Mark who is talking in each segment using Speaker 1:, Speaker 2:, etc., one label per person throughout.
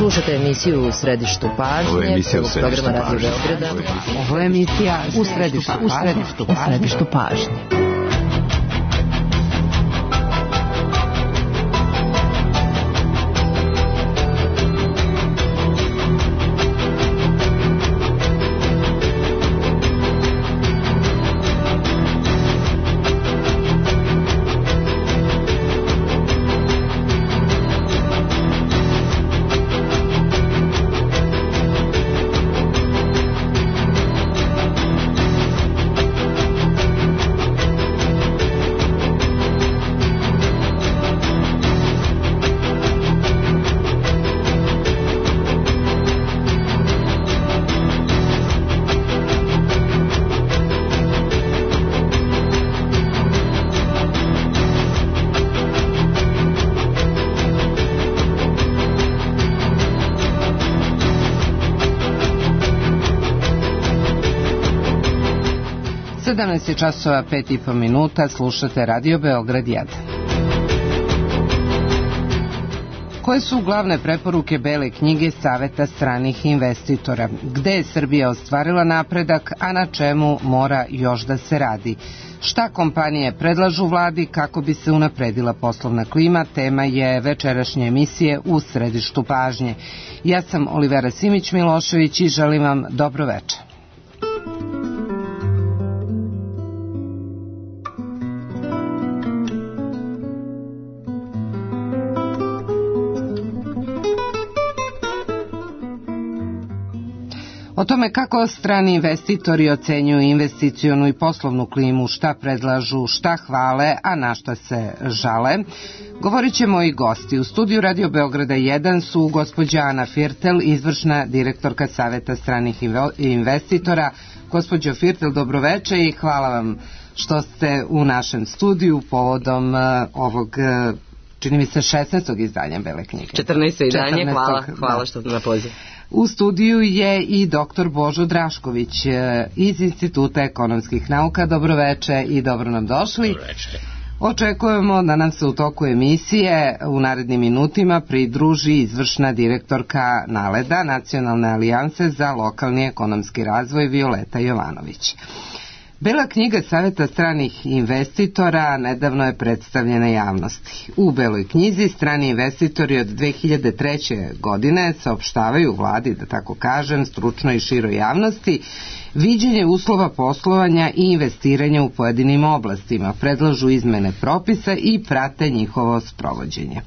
Speaker 1: Slušate emisiju U središtu pažnje.
Speaker 2: Ovo je emisija U središtu pažnje.
Speaker 1: Ovo je emisija U središtu pažnje. Časova 5,5 minuta, slušate Radio Beograd 1. Koje su glavne preporuke Bele knjige Saveta stranih investitora? Gde je Srbija ostvarila napredak, a na čemu mora još da se radi? Šta kompanije predlažu vladi kako bi se unapredila poslovna klima? Tema je večerašnje emisije U središtu pažnje. Ja sam Olivera Simić-Milošević i želim vam dobro večer. O tome kako strani investitori ocenjuju investicionu i poslovnu klimu, šta predlažu, šta hvale, a na šta se žale, govorit će moji gosti. U studiju Radio Beograda 1 su gospođa Ana Firtel, izvršna direktorka Saveta stranih investitora. Gospođo Firtel, dobroveče i hvala vam što ste u našem studiju povodom ovog, čini mi se, 16. izdanja Bele knjige.
Speaker 3: 14. izdanje, hvala što ste na poziv.
Speaker 1: U studiju je i dr. Božo Drašković iz Instituta ekonomskih nauka. Dobroveče i dobro nam došli.
Speaker 2: Dobroveče.
Speaker 1: Očekujemo da nam se u toku emisije u narednim minutima pridruži izvršna direktorka NALED-a, Nacionalne alijanse za lokalni ekonomski razvoj, Violeta Jovanović. Bela knjiga Saveta stranih investitora nedavno je predstavljena javnosti. U Beloj knjizi strani investitori od 2003. godine saopštavaju vladi, da tako kažem, stručnoj i široj javnosti, viđenje uslova poslovanja i investiranja u pojedinim oblastima, predlažu izmene propisa i prate njihovo sprovođenje.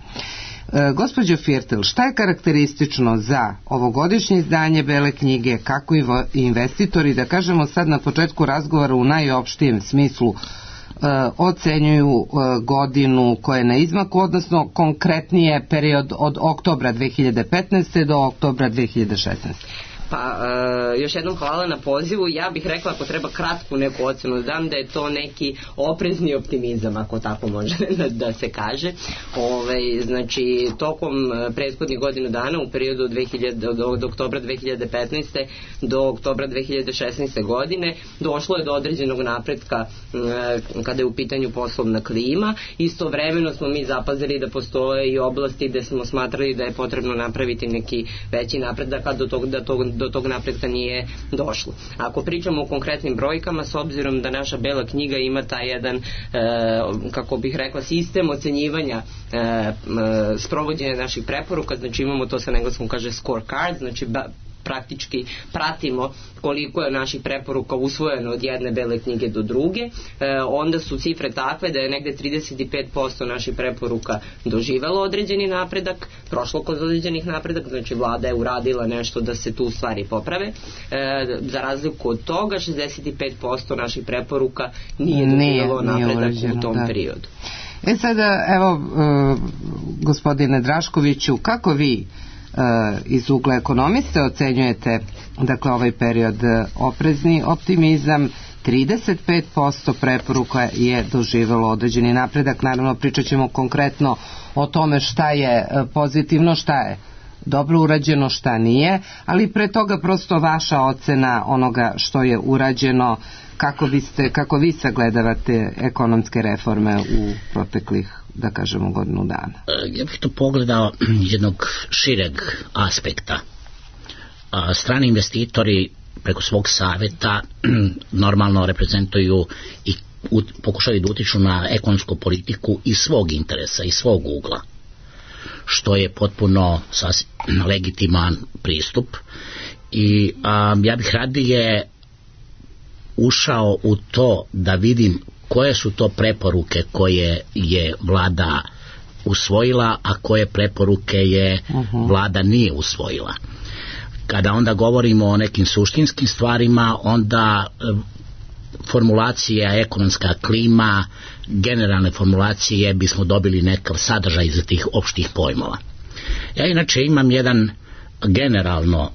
Speaker 1: Gospođo Firtel, šta je karakteristično za ovogodišnje izdanje Bele knjige, kako investitori, da kažemo sad na početku razgovora u najopštijem smislu, ocenjuju godinu koja je na izmaku, odnosno konkretnije period od oktobra 2015. do oktobra 2016.
Speaker 3: Pa, još jednom hvala na pozivu. Ja bih rekla, ako treba kratku neku ocenu da dam, da je to neki oprezni optimizam, ako tako može da se kaže. Znači, tokom prethodnih godinu dana, u periodu od oktobra 2015. do oktobra 2016. godine, došlo je do određenog napretka kada je u pitanju poslovna klima. Istovremeno smo mi zapazili da postoje i oblasti gde smo smatrali da je potrebno napraviti neki veći napredak, a do tog napretka nije došlo. Ako pričamo o konkretnim brojkama, s obzirom da naša Bela knjiga ima taj jedan, kako bih rekla, sistem ocenjivanja sprovođenja naših preporuka, znači imamo to sa engleskom kaže scorecard, znači praktički pratimo koliko je naših preporuka usvojeno od jedne Bele knjige do druge, onda su cifre takve da je negde 35% naših preporuka doživelo određeni napredak, prošlo kod određenih napredak, znači vlada je uradila nešto da se tu stvari poprave. Za razliku od toga, 65% naših preporuka nije doživelo napredak u tom periodu.
Speaker 1: Sada, evo, gospodine Draškoviću, kako vi iz ugla ekonomiste ocenjujete, dakle, ovaj period? Oprezni optimizam, 35% preporuka je doživelo određeni napredak. Naravno, pričat ćemo konkretno o tome šta je pozitivno, šta je dobro urađeno, šta nije, ali pre toga prosto vaša ocena onoga što je urađeno, kako vi sagledavate ekonomske reforme u proteklih, da kažemo, godinu dana.
Speaker 2: Ja bih to pogledao jednog šireg aspekta. Strani investitori preko svog saveta normalno reprezentuju i pokušaju da utiču na ekonomsku politiku iz svog interesa, iz svog ugla, što je potpuno legitiman pristup. I ja bih radije ušao u to da vidim koje su to preporuke koje je vlada usvojila, a koje preporuke je vlada nije usvojila. Kada onda govorimo o nekim suštinskim stvarima, onda formulacija ekonomska klima, generalne formulacije bismo dobili nekav sadržaj za tih opštih pojmova. Ja inače imam jedan generalno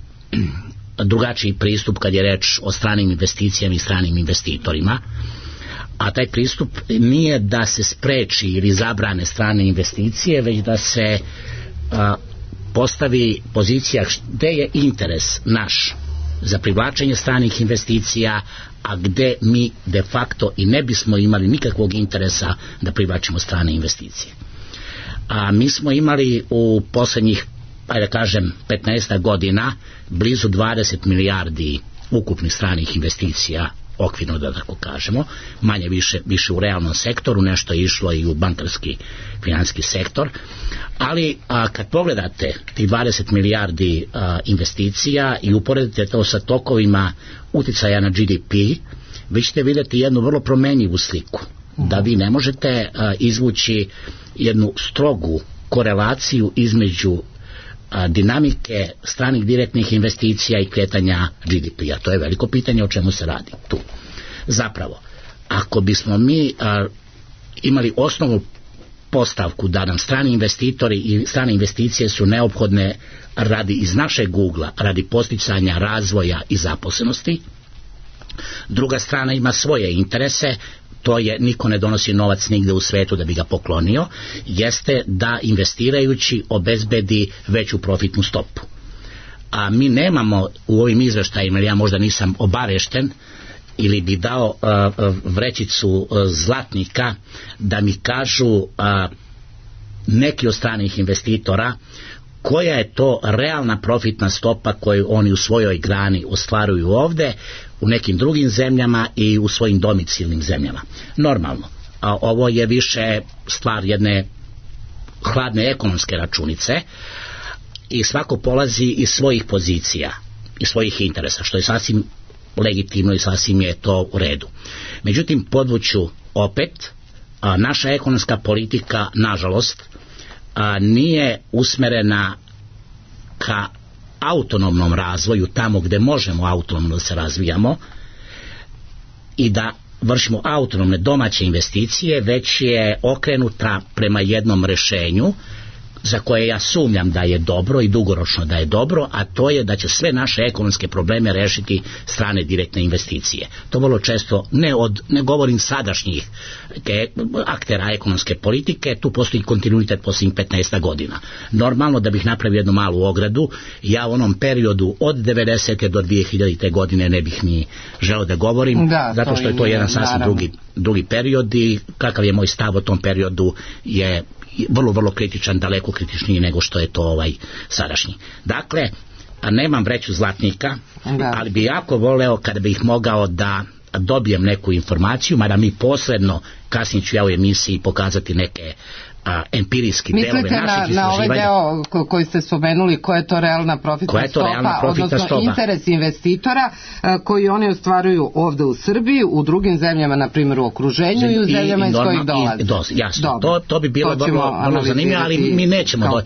Speaker 2: drugačiji pristup kad je reč o stranim investicijama i stranim investitorima, a taj pristup nije da se spreči ili zabrane strane investicije, već da se postavi pozicija gde je interes naš za privlačenje stranih investicija, a gde mi de facto i ne bismo imali nikakvog interesa da privlačimo strane investicije. A mi smo imali u poslednjih, da kažem, 15 godina blizu 20 milijardi ukupnih stranih investicija, okvirno da tako kažemo, manje više u realnom sektoru, nešto je išlo i u bankarski finansijski sektor, ali kad pogledate ti 20 milijardi investicija i uporedite to sa tokovima uticaja na GDP, vi ćete vidjeti jednu vrlo promenjivu sliku, da vi ne možete izvući jednu strogu korelaciju između dinamike stranih direktnih investicija i kretanja GDP-a. To je veliko pitanje o čemu se radi tu. Zapravo, ako bismo mi imali osnovnu postavku da nam strani investitori i strane investicije su neophodne radi iz našeg ugla, radi posticanja razvoja i zaposlenosti, druga strana ima svoje interese, to je niko ne donosi novac nigde u svetu da bi ga poklonio, jeste da investirajući obezbedi veću profitnu stopu. A mi nemamo u ovim izveštajima, ja možda nisam obavešten, ili bi dao vrećicu zlatnika da mi kažu neki od stranih investitora koja je to realna profitna stopa koju oni u svojoj grani ostvaruju ovde, u nekim drugim zemljama i u svojim domicilnim zemljama. Normalno, ovo je više stvar jedne hladne ekonomske računice i svako polazi iz svojih pozicija i svojih interesa, što je sasvim legitimno i sasvim je to u redu. Međutim, podvuću opet, naša ekonomska politika, nažalost, nije usmerena ka autonomnom razvoju tamo gde možemo autonomno da se razvijamo i da vršimo autonomne domaće investicije, već je okrenuta prema jednom rešenju za koje ja sumnjam da je dobro i dugoročno da je dobro, a to je da će sve naše ekonomske probleme rešiti strane direktne investicije. To vrlo često, ne govorim sadašnjih aktera ekonomske politike, tu postoji kontinuitet posljednjih 15 godina. Normalno, da bih napravio jednu malu ogradu, ja u onom periodu od 90. do 2000. godine ne bih ni želeo da govorim, zato što je to jedan sasvim drugi period i kakav je moj stav o tom periodu je vrlo, vrlo kritičan, daleko kritičniji nego što je to sadašnji. Dakle, nemam vreću zlatnika, ali bi jako voleo kada bih mogao da dobijem neku informaciju, mada mi posredno, kasnije ću ja u emisiji pokazati neke empirijski delove naših istraživanja.
Speaker 1: Mislite na ovaj deo koji ste spomenuli, koja je to realna profitna stopa, odnosno interes investitora koji oni ostvaruju ovde u Srbiji, u drugim zemljama, na primjer u okruženju i u zemljama iz kojih dolaze.
Speaker 2: Jasno, to bi bilo vrlo zanimljivo, ali mi nećemo.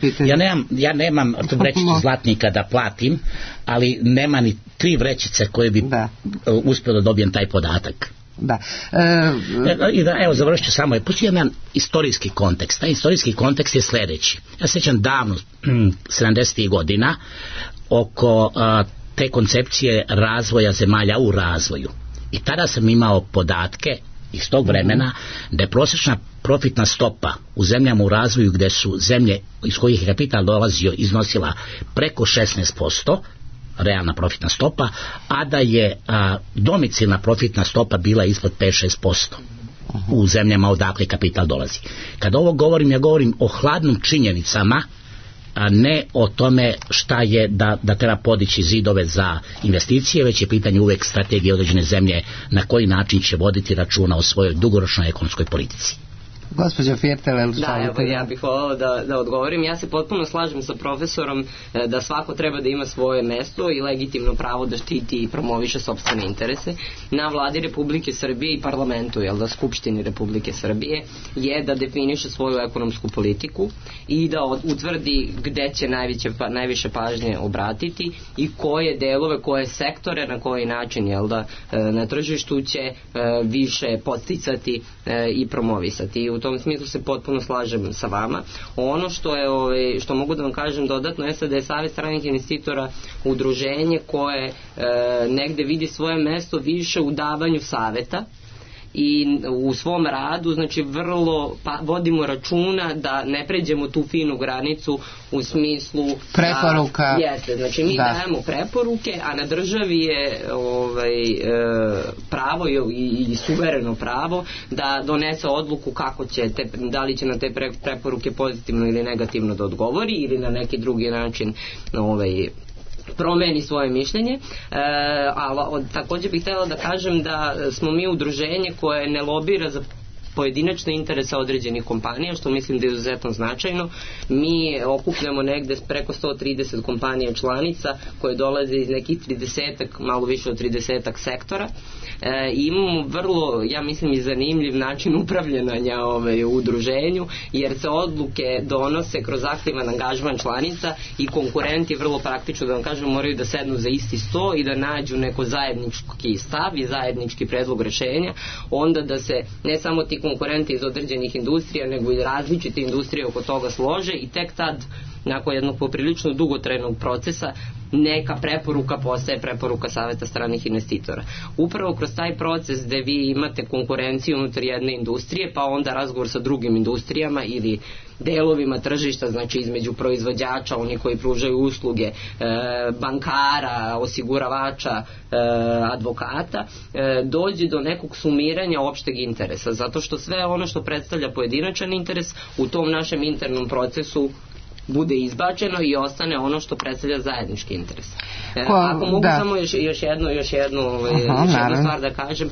Speaker 2: Ja nemam vrećicu zlatnika da platim, ali nema ni 3 vrećice koje bi uspio da dobijem taj podatak.
Speaker 1: Da.
Speaker 2: Evo, završit ću samo. Postoji jedan istorijski kontekst. Taj istorijski kontekst je sledeći. Ja se sjećam davno, 70. godina, oko te koncepcije razvoja zemalja u razvoju. I tada sam imao podatke iz tog vremena da je prosječna profitna stopa u zemljama u razvoju gde su zemlje iz kojih je kapital dolazio iznosila preko 16%, realna profitna stopa, a da je domicilna profitna stopa bila ispod 5-6% u zemljama odakle kapital dolazi. Kada ovo govorim, ja govorim o hladnim činjenicama, a ne o tome šta je da treba podići zidove za investicije, već je pitanje uvek strategije određene zemlje na koji način će voditi računa o svojoj dugoročnoj ekonomskoj politici.
Speaker 1: Gospođa Fjertelel,
Speaker 3: evo, ja bih volala da odgovorim. Ja se potpuno slažem sa profesorom da svako treba da ima svoje mesto i legitimno pravo da štiti i promoviše sopstvene interese. Na vladi Republike Srbije i parlamentu, Skupštini Republike Srbije, je da definiše svoju ekonomsku politiku i da utvrdi gde će najviše pažnje obratiti i koje delove, koje sektore, na koji način na tržištu će više podsticati i promovisati. U tom smislu se potpuno slažem sa vama. Ono što mogu da vam kažem dodatno je da je Savet stranih investitora udruženje koje negde vidi svoje mesto više u davanju saveta i u svom radu, znači vrlo vodimo računa da ne pređemo tu finu granicu u smislu
Speaker 1: preporuka.
Speaker 3: Jeste, znači mi dajemo preporuke, a na državi je pravo i suvereno pravo da donese odluku kako će da li će na te preporuke pozitivno ili negativno da odgovori ili na neki drugi način promeni svoje mišljenje, ali također bih htjela da kažem da smo mi udruženje koje ne lobira za pojedinačne interese određenih kompanija, što mislim da je izuzetno značajno. Mi okupljamo negde preko 130 kompanija članica koje dolaze iz nekih 30-ak, malo više od 30-ak sektora. Imamo vrlo, ja mislim, i zanimljiv način upravljanja u udruženju, jer se odluke donose kroz aktivan angažman članica i konkurenti, vrlo praktično da vam kažem, moraju da sednu za isti sto i da nađu neko zajednički stav i zajednički predlog rešenja, onda da se ne samo ti konkurenti iz određenih industrija, nego i različite industrije oko toga slože i tek tad, nakon jednog poprilično dugotrajnog procesa, neka preporuka postaje preporuka Saveta stranih investitora. Upravo kroz taj proces gde vi imate konkurenciju unutar jedne industrije, pa onda razgovor sa drugim industrijama ili delovima tržišta, znači između proizvođača, oni koji pružaju usluge, bankara, osiguravača, advokata, dođe do nekog sumiranja opšteg interesa, zato što sve ono što predstavlja pojedinačan interes u tom našem internom procesu bude izbačeno i ostane ono što predstavlja zajednički interes. Ako mogu samo još jednu stvar da kažem,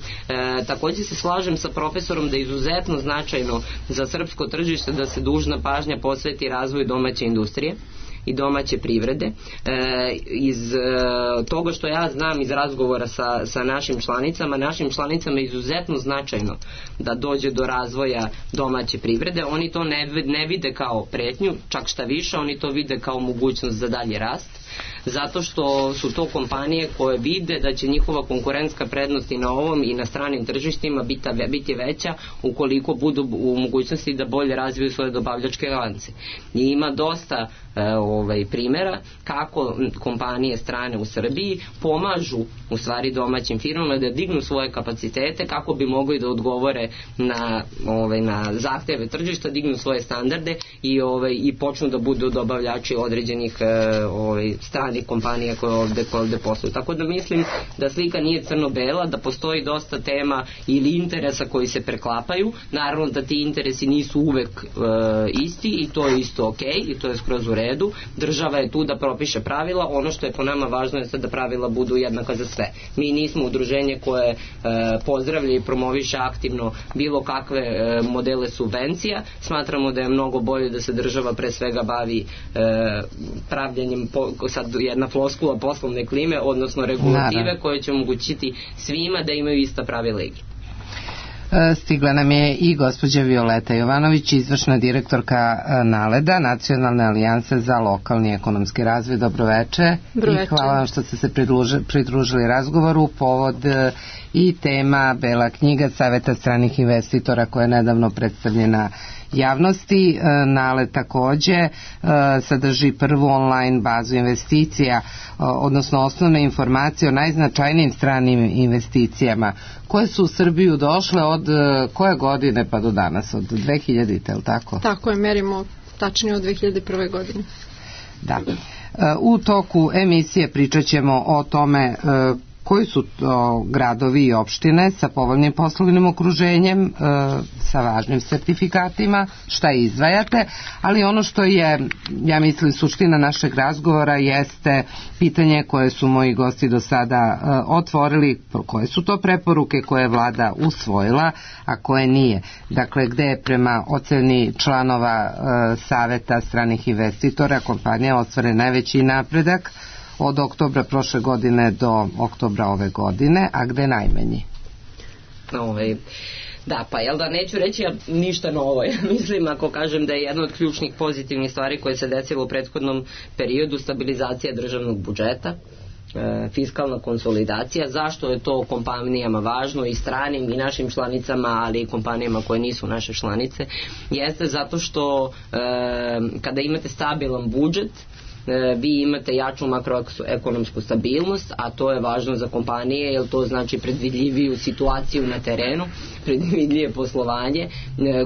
Speaker 3: također se slažem sa profesorom da je izuzetno značajno za srpsko tržište da se dužna pažnja posveti razvoju domaće industrije i domaće privrede. Iz toga što ja znam iz razgovora sa našim članicama je izuzetno značajno da dođe do razvoja domaće privrede. Oni to ne vide kao pretnju, čak šta više, oni to vide kao mogućnost za dalji rast, zato što su to kompanije koje vide da će njihova konkurentska prednost i na ovom i na stranim tržištima biti veća ukoliko budu u mogućnosti da bolje razviju svoje dobavljačke lance. I ima dosta primjera kako kompanije strane u Srbiji pomažu u stvari domaćim firmama da dignu svoje kapacitete kako bi mogli da odgovore na zahteve tržišta, dignu svoje standarde i počnu da budu dobavljači određenih stranih kompanija koje ovde posluju. Tako da mislim da slika nije crno-bela, da postoji dosta tema ili interesa koji se preklapaju. Naravno da ti interesi nisu uvek isti i to je isto ok i to je skroz u redu. Država je tu da propiše pravila. Ono što je po nama važno je da pravila budu jednaka za sve. Mi nismo udruženje koje pozdravlja i promoviše aktivno bilo kakve modele subvencija. Smatramo da je mnogo bolje da se država pre svega bavi pravljenjem, sad jedna floskula poslovne klime, odnosno regulative koje će omogućiti svima da imaju ista pravila igre.
Speaker 1: Stigla nam je i gospođa Violeta Jovanović, izvršna direktorka NALED-a, Nacionalne alijanse za lokalni ekonomski razvoj. Dobroveče. I hvala vam što ste se pridružili razgovoru. Povod i tema Bela knjiga Saveta stranih investitora koja je nedavno predstavljena javnosti. NALED takođe sadrži prvu online bazu investicija, odnosno osnovne informacije o najznačajnijim stranim investicijama koje su u Srbiju došle od koje godine pa do danas, od 2000-te, je li tako?
Speaker 4: Tako je, merimo tačnije od 2001. godine.
Speaker 1: Da. U toku emisije pričat ćemo o tome koji su to gradovi i opštine sa povoljnim poslovnim okruženjem, sa važnim sertifikatima, šta izdvajate, ali ono što je, ja mislim, suština našeg razgovora jeste pitanje koje su moji gosti do sada otvorili, koje su to preporuke koje je vlada usvojila, a koje nije. Dakle, gde je prema oceni članova Saveta stranih investitora kompanija ostvaren najveći napredak od oktobra prošle godine do oktobra ove godine, a gde najmanji?
Speaker 3: Da, pa jel da, neću reći ništa novo. Ja mislim, ako kažem da je jedna od ključnih pozitivnih stvari koje se desilo u prethodnom periodu stabilizacija državnog budžeta, fiskalna konsolidacija. Zašto je to kompanijama važno, i stranim i našim članicama, ali i kompanijama koje nisu naše članice? Jeste zato što kada imate stabilan budžet, vi imate jaču makroekonomsku stabilnost, a to je važno za kompanije, jer to znači predvidljiviju situaciju na terenu, predvidljivije poslovanje,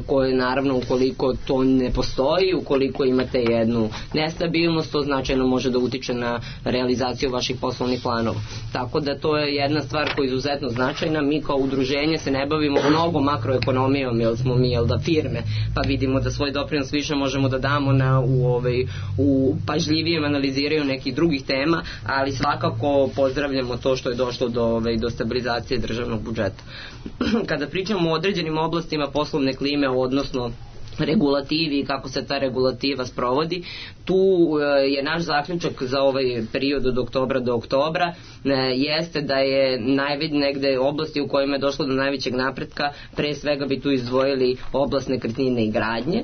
Speaker 3: koje naravno ukoliko to ne postoji, ukoliko imate jednu nestabilnost, to značajno može da utiče na realizaciju vaših poslovnih planova. Tako da to je jedna stvar koja je izuzetno značajna. Mi kao udruženje se ne bavimo mnogo makroekonomijom, jer smo mi firme, pa vidimo da svoj doprinos više možemo da damo u pažljivije analiziraju nekih drugih tema, ali svakako pozdravljamo to što je došlo do stabilizacije državnog budžeta. Kada pričamo o određenim oblastima poslovne klime, odnosno regulativi i kako se ta regulativa sprovodi, tu je naš zaključak za ovaj period od oktobra do oktobra jeste da je negde oblasti u kojima je došlo do najvećeg napretka, pre svega bi tu izdvojili oblast nekretnine i gradnje.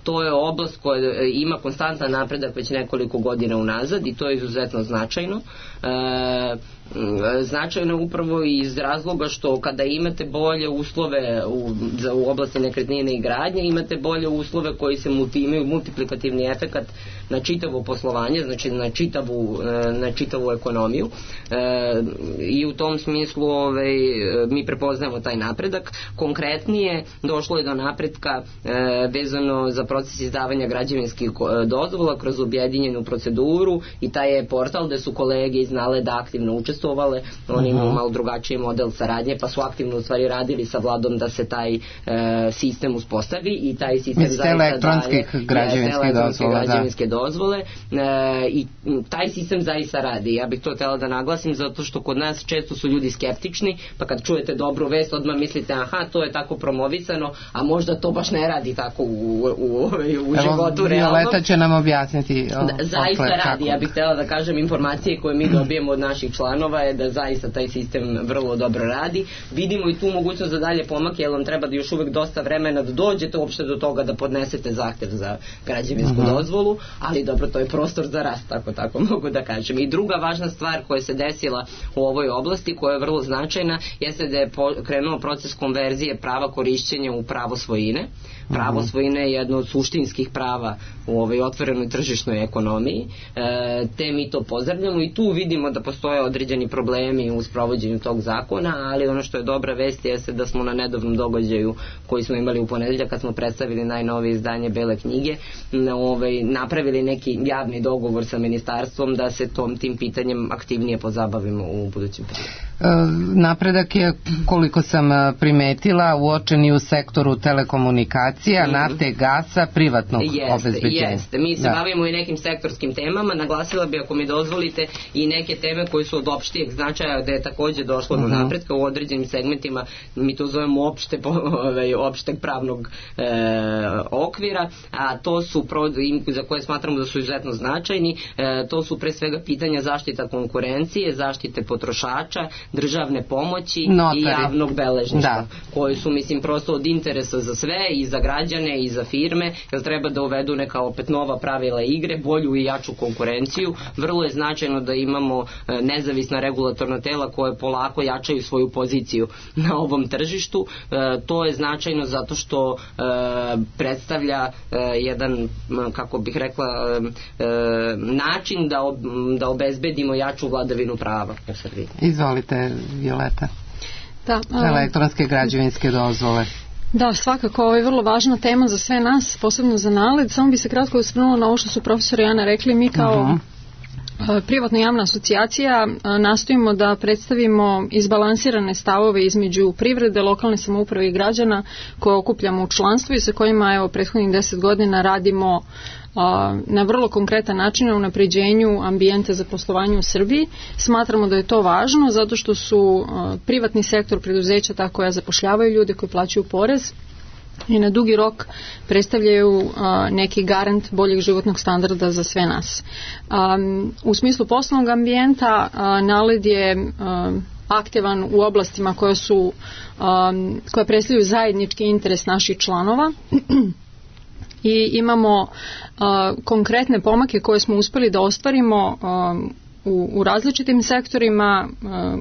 Speaker 3: To je oblast koja ima konstantan napredak već nekoliko godina unazad i to je izuzetno značajno. Značajno upravo iz razloga što kada imate bolje uslove u oblasti nekretnine i gradnje, imate bolje uslove koji se imaju multiplikativni efekat na čitavo poslovanje, znači na čitavu ekonomiju, i u tom smislu mi prepoznajemo taj napredak. Konkretnije, došlo je do napretka vezano za proces izdavanja građevinskih dozvola kroz objedinjenu proceduru, i taj je portal gde su kolege iz NALED-a aktivno učestvovale. Oni imaju malo drugačiji model saradnje, pa su aktivno u stvari radili sa vladom da se taj sistem uspostavi, i taj sistem
Speaker 1: elektronskih građevinske
Speaker 3: dozvole, i taj sistem zaista radi. Ja bih to htela da naglasim, zato što kod nas često su ljudi skeptični, pa kad čujete dobru vest odmah mislite aha, to je tako promovisano, a možda to baš ne radi tako u životu realno.
Speaker 1: Violeta će nam objasniti.
Speaker 3: Zaista radi. Ja bih htela da kažem, informacije koje mi dobijemo od naših članova je da zaista taj sistem vrlo dobro radi. Vidimo i tu mogućnost za dalje pomake, jer vam treba da još uvek dosta vremena da dođete uopšte do toga da podnesete zahtev za građevinsku dozvolu, ali dobro, to je prostor za rast, tako mogu da kažem. I druga važna stvar koja se desila u ovoj oblasti, koja je vrlo značajna, jeste da je krenuo proces konverzije prava korišćenja u pravo svojine. Pravo svojine je jedno od suštinskih prava u ovoj otvorenoj tržišnoj ekonomiji, te mi to pozdravljamo, i tu vidimo da postoje određeni problemi u sprovođenju tog zakona, ali ono što je dobra vest jeste da smo na nedavnom događaju koji smo imali u ponedeljak, kad smo predstavili najnovije izdanje Bele knjige, napravili neki javni dogovor sa ministarstvom da se tim pitanjem aktivnije pozabavimo u budućem periodu.
Speaker 1: Napredak je, koliko sam primetila, uočen i u sektoru telekomunikacija, nafte, gasa, privatnog obezbeđenja.
Speaker 3: Jeste. Mi se bavimo i nekim sektorskim temama. Naglasila bi, ako mi dozvolite, i neke teme koje su od opštijeg značaja, gde je takođe došlo do napretka u određenim segmentima. Mi to zovemo opšteg pravnog okvira, a to su za koje smatramo da su izuzetno značajni. To su pre svega pitanja zaštita konkurencije, zaštite potrošača, državne pomoći, notari i javnog beležništva, koji su, mislim, prosto od interesa za sve, i za građane i za firme, jer treba da uvedu neka opet nova pravila igre, bolju i jaču konkurenciju. Vrlo je značajno da imamo nezavisni nezavisna regulatorna tela koje polako jačaju svoju poziciju na ovom tržištu. To je značajno zato što predstavlja jedan, kako bih rekla, način da obezbedimo jaču vladavinu prava u Srbiji.
Speaker 1: Izvolite, Violeta.
Speaker 4: Da,
Speaker 1: elektronske građevinske dozvole.
Speaker 4: Da, svakako, ovo je vrlo važna tema za sve nas, posebno za NALED. Samo bi se kratko osvrnula na ovo što su profesor i Ana rekli. Mi kao privatna javna asocijacija nastojimo da predstavimo izbalansirane stavove između privrede, lokalne samouprave i građana koje okupljamo u članstvu i sa kojima prethodnih 10 godina radimo na vrlo konkretan način na unapređenju ambijenta za poslovanje u Srbiji. Smatramo da je to važno zato što su privatni sektor, preduzeća ta koja zapošljavaju ljude koji plaćaju porez i na dugi rok predstavljaju neki garant boljeg životnog standarda za sve nas. U smislu poslovnog ambijenta NALED je aktivan u oblastima koja predstavljaju zajednički interes naših članova i imamo konkretne pomake koje smo uspeli da ostvarimo u različitim sektorima.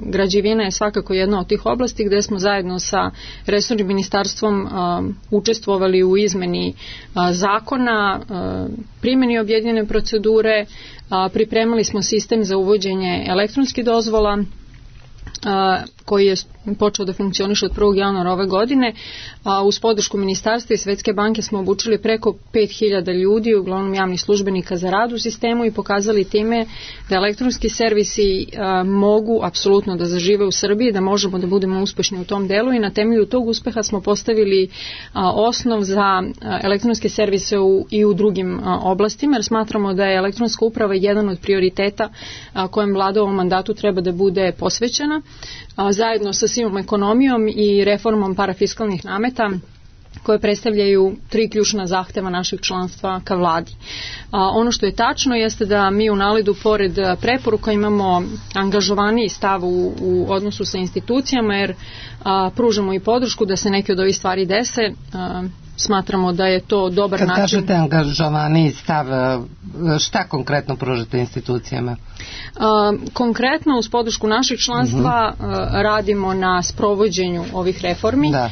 Speaker 4: Građevina je svakako jedna od tih oblasti gde smo zajedno sa resornim ministarstvom učestvovali u izmeni zakona, primjeni objedinjene procedure, pripremali smo sistem za uvođenje elektronskih dozvola koji je počeo da funkcioniše od 1. januara ove godine. Uz podršku ministarstva i Svetske banke smo obučili preko 5000 ljudi, uglavnom javnih službenika za rad u sistemu i pokazali time da elektronski servisi mogu apsolutno da zažive u Srbiji, da možemo da budemo uspešni u tom delu i na temelju tog uspeha smo postavili osnov za elektronske servise i u drugim oblastima, jer smatramo da je elektronska uprava jedan od prioriteta kojem vlada u ovom mandatu treba da bude posvećena, zajedno sa sivom ekonomijom i reformom parafiskalnih nameta koje predstavljaju 3 ključna zahteva našeg članstva ka vladi. Ono što je tačno jeste da mi u NALED-u pored preporuka imamo angažovaniji stav u odnosu sa institucijama, jer pružamo i podršku da se neke od ovih stvari dese. Smatramo da je to dobar način.
Speaker 1: Kad kažete angažovaniji stav, šta konkretno pružate institucijama?
Speaker 4: Konkretno uz podršku našeg članstva radimo na sprovođenju ovih reformi. Da.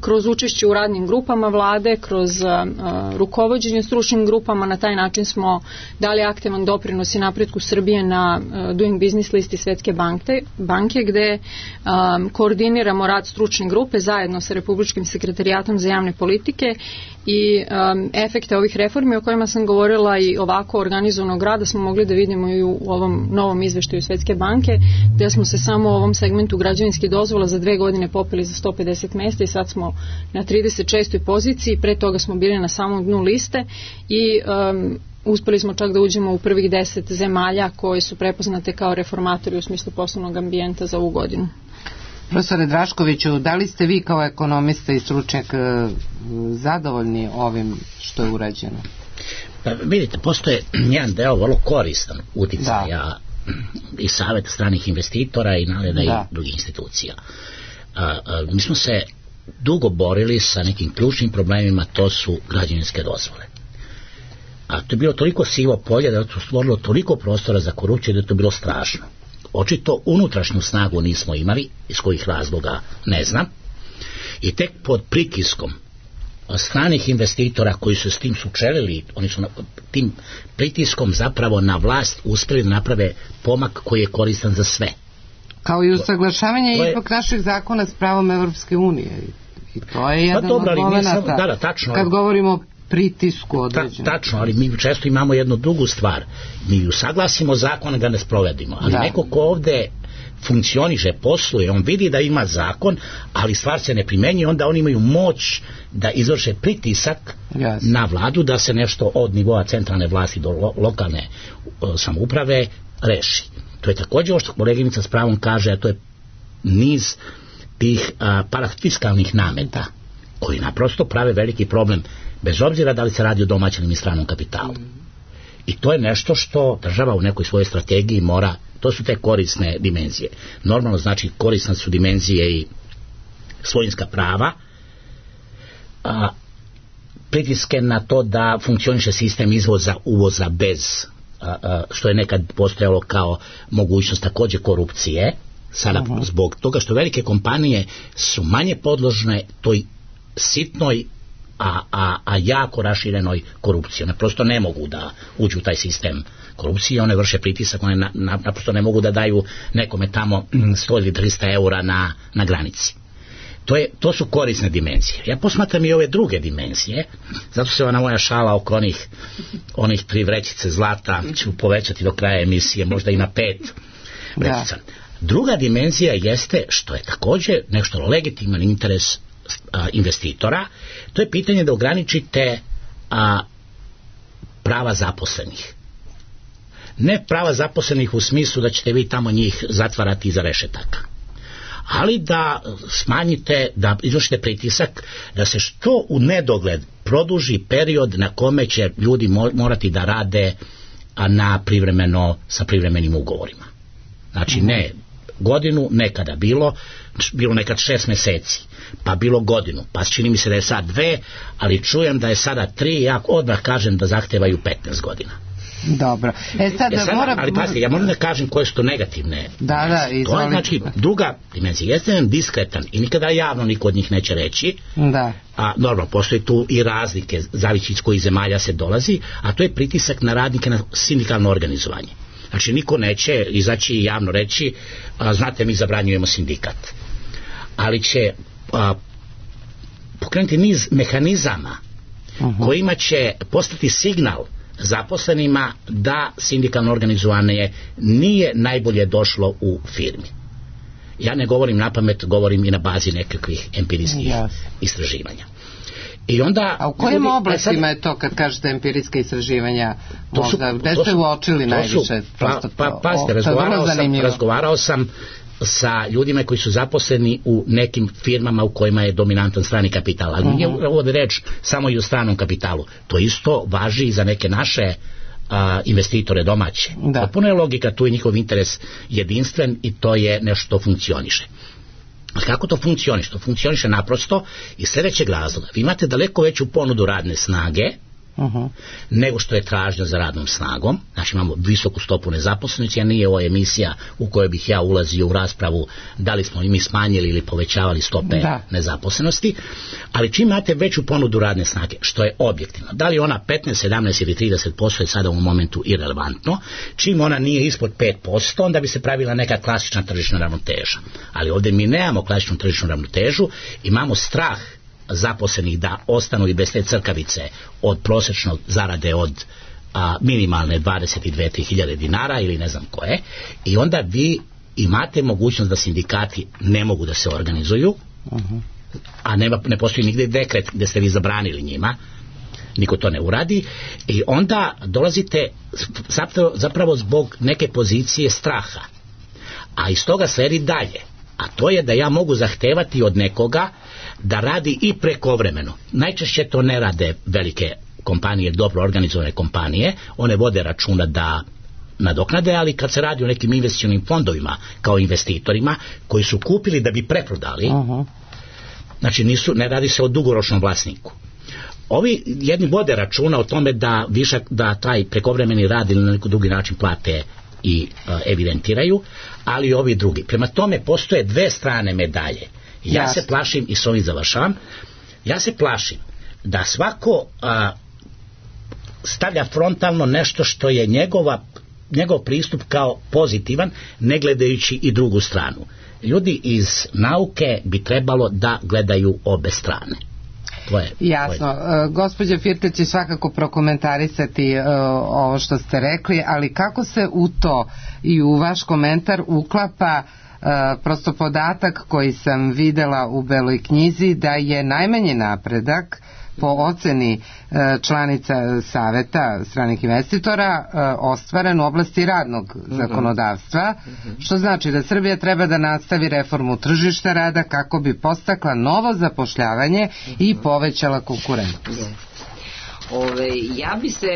Speaker 4: Kroz učešće u radnim grupama vlade, kroz rukovođenje stručnim grupama. Na taj način smo dali aktivan doprinos i napretku Srbije na Doing Business listi Svetske banke gde koordiniramo rad stručne grupe zajedno sa Republičkim sekretarijatom za javne politike i efekte ovih reformi o kojima sam govorila i ovako organizovanog rada smo mogli da vidimo i u ovom novom izveštaju Svetske banke, gde smo se samo u ovom segmentu građevinskih dozvola za 2 godine popeli za 150 mesta i sad smo na 36. poziciji, pre toga smo bili na samom dnu liste i uspeli smo čak da uđemo u prvih 10 zemalja koje su prepoznate kao reformatori u smislu poslovnog ambijenta za ovu godinu.
Speaker 1: Profesore Draškoviću, da li ste vi kao ekonomista i stručnjak zadovoljni ovim što je urađeno?
Speaker 2: Pa vidite, postoje jedan deo vrlo koristan uticaja i saveta stranih investitora i NALED-a i drugih institucija. Mi smo se dugo borili sa nekim ključnim problemima, to su građevinske dozvole. A to je bilo toliko sivo polje da je to stvorilo toliko prostora za korupciju da je to bilo strašno. Očito unutrašnju snagu nismo imali, iz kojih razloga ne znam, i tek pod pritiskom stranih investitora koji su s tim sučelili, oni su tim pritiskom zapravo na vlast uspeli da naprave pomak koji je koristan za sve.
Speaker 1: Kao i usaglašavanje ipak naših zakona s pravom Evropske unije. I to je jedan od momenata. Kad govorimo o pritisku određenom.
Speaker 2: Tačno, ali mi često imamo jednu drugu stvar. Mi usaglasimo zakone da ne sprovedimo. Ali neko ko ovde funkcioniše, posluje, on vidi da ima zakon, ali stvar se ne primenjuje, onda oni imaju moć da izvrše pritisak na vladu da se nešto od nivoa centralne vlasti do lokalne samouprave reši. To je također ovo što koleginica s pravom kaže, a to je niz tih parafiskalnih nameta koji naprosto prave veliki problem, bez obzira da li se radi o domaćem ili stranom kapitalu. I to je nešto što država u nekoj svojoj strategiji mora, to su te korisne dimenzije. Normalno znači korisne su dimenzije i svojinska prava, pritiske na to da funkcioniše sistem izvoza, uvoza bez što je nekad postojalo kao mogućnost također korupcije, sada zbog toga što velike kompanije su manje podložne toj sitnoj a jako raširenoj korupciji. One prosto ne mogu da uđu u taj sistem korupcije, one vrše pritisak, one naprosto ne mogu da daju nekome tamo 100 ili 300 eura na granici. To su korisne dimenzije. Ja posmatram i ove druge dimenzije, zato se ona moja šala oko onih 3 vrećice zlata ću povećati do kraja emisije, možda i na 5 vrećica. Druga dimenzija jeste, što je također nešto legitiman interes investitora, to je pitanje da ograničite prava zaposlenih. Ne prava zaposlenih u smislu da ćete vi tamo njih zatvarati iza rešetaka, ali da smanjite, da izvršite pritisak da se što u nedogled produži period na kome će ljudi morati da rade sa privremenim ugovorima. Znači ne godinu, nekada bilo nekad 6 mjeseci, pa bilo godinu, pa čini mi se da je sad 2, ali čujem da je sada 3, ja odmah kažem da zahtevaju 15 godina.
Speaker 1: Dobro.
Speaker 2: Ali pazite, ja moram da kažem koje su to negativne. To je znači druga dimenzija. Jeste jedan diskretan i nikada javno niko od njih neće reći. A normalno, postoji tu i razlike, zavisi iz kojih zemalja se dolazi, a to je pritisak na radnike na sindikalno organizovanje. Znači niko neće izaći i javno reći znate, mi zabranjujemo sindikat. Ali će pokrenuti niz mehanizama kojima će postati signal zaposlenima da sindikalno organizovanje nije najbolje došlo u firmi. Ja ne govorim napamet, govorim i na bazi nekakvih empirijskih istraživanja. I onda,
Speaker 1: a u kojim oblastima je to kad kažete empirijska istraživanja? Gde ste uočili najviše?
Speaker 2: Pazite, razgovarao sam sa ljudima koji su zaposleni u nekim firmama u kojima je dominantan strani kapital, ali nije ovdje reč samo i o stranom kapitalu. To isto važi i za neke naše investitore domaće. Potpuno je logika, tu je njihov interes jedinstven i to je nešto što funkcioniše. Kako to funkcioniše? To funkcioniše naprosto iz sljedećeg razloga. Vi imate daleko veću ponudu radne snage nego što je tražnja za radnom snagom. Znači imamo visoku stopu nezaposlenosti, a nije ovo emisija u kojoj bih ja ulazio u raspravu da li smo mi smanjili ili povećavali stope nezaposlenosti, ali čim imate veću ponudu radne snage, što je objektivno, da li ona 15, 17 ili 30% je sada u momentu irelevantno, čim ona nije ispod 5%, onda bi se pravila neka klasična tržišna ravnoteža. Ali ovdje mi nemamo klasičnu tržišnu ravnotežu, imamo strah zaposlenih da ostanu i bez te crkavice od prosječnog zarade od minimalne 22.000 dinara ili ne znam koje, i onda vi imate mogućnost da sindikati ne mogu da se organizuju, a ne postoji nigdje dekret gdje ste vi zabranili njima, niko to ne uradi, i onda dolazite zapravo zbog neke pozicije straha, a iz toga sledi dalje, a to je da ja mogu zahtevati od nekoga da radi i prekovremeno. Najčešće to ne rade velike kompanije, dobro organizovane kompanije, one vode računa da nadoknade, ali kad se radi o nekim investicionim fondovima kao investitorima koji su kupili da bi preprodali, znači ne radi se o dugoročnom vlasniku. Ovi jedni vode računa o tome da taj prekovremeni rad ili na neki drugi način plate i evidentiraju, ali ovi drugi. Prema tome postoje dve strane medalje. Ja se plašim, i s ovim završavam, ja se plašim da svako stavlja frontalno nešto što je njegov pristup kao pozitivan, ne gledajući i drugu stranu. Ljudi iz nauke bi trebalo da gledaju obe strane.
Speaker 1: Jasno. Gospođa Firta će svakako prokomentarisati ovo što ste rekli, ali kako se u to i u vaš komentar uklapa prosto podatak koji sam videla u Beloj knjizi, da je najmanji napredak po oceni članica Saveta stranih investitora ostvaren u oblasti radnog zakonodavstva, što znači da Srbija treba da nastavi reformu tržišta rada kako bi podstakla novo zapošljavanje i povećala konkurentnost.
Speaker 3: Ja bi se,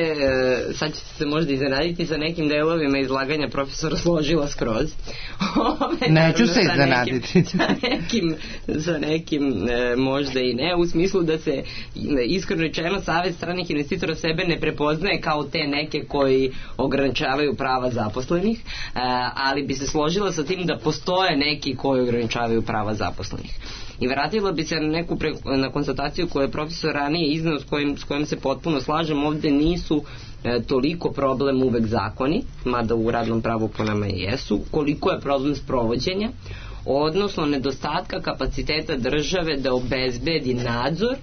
Speaker 3: sad ćete se možda iznenaditi, sa nekim delovima izlaganja profesora složila skroz.
Speaker 1: Neću se iznenaditi.
Speaker 3: Sa nekim možda i ne, u smislu da se iskreno rečeno Savet stranih investitora sebe ne prepoznaje kao te neke koji ograničavaju prava zaposlenih, ali bi se složila sa tim da postoje neki koji ograničavaju prava zaposlenih. I vratila bi se na konstataciju koju je profesor ranije izneo, s kojim se potpuno slažem. Ovde nisu toliko problem uvek zakoni, mada u radnom pravu po nama i jesu, koliko je problem sprovođenja, odnosno nedostatka kapaciteta države da obezbedi nadzor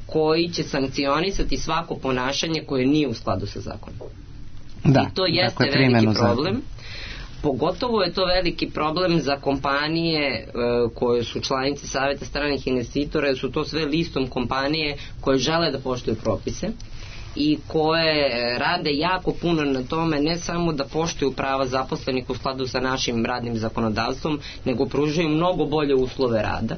Speaker 3: koji će sankcionisati svako ponašanje koje nije u skladu sa zakonom. I to jeste veliki problem. Pogotovo je to veliki problem za kompanije koje su članice Saveta stranih investitora, jer su to sve listom kompanije koje žele da poštuju propise i koje rade jako puno na tome, ne samo da poštuju prava zaposlenih u skladu sa našim radnim zakonodavstvom, nego pružaju mnogo bolje uslove rada.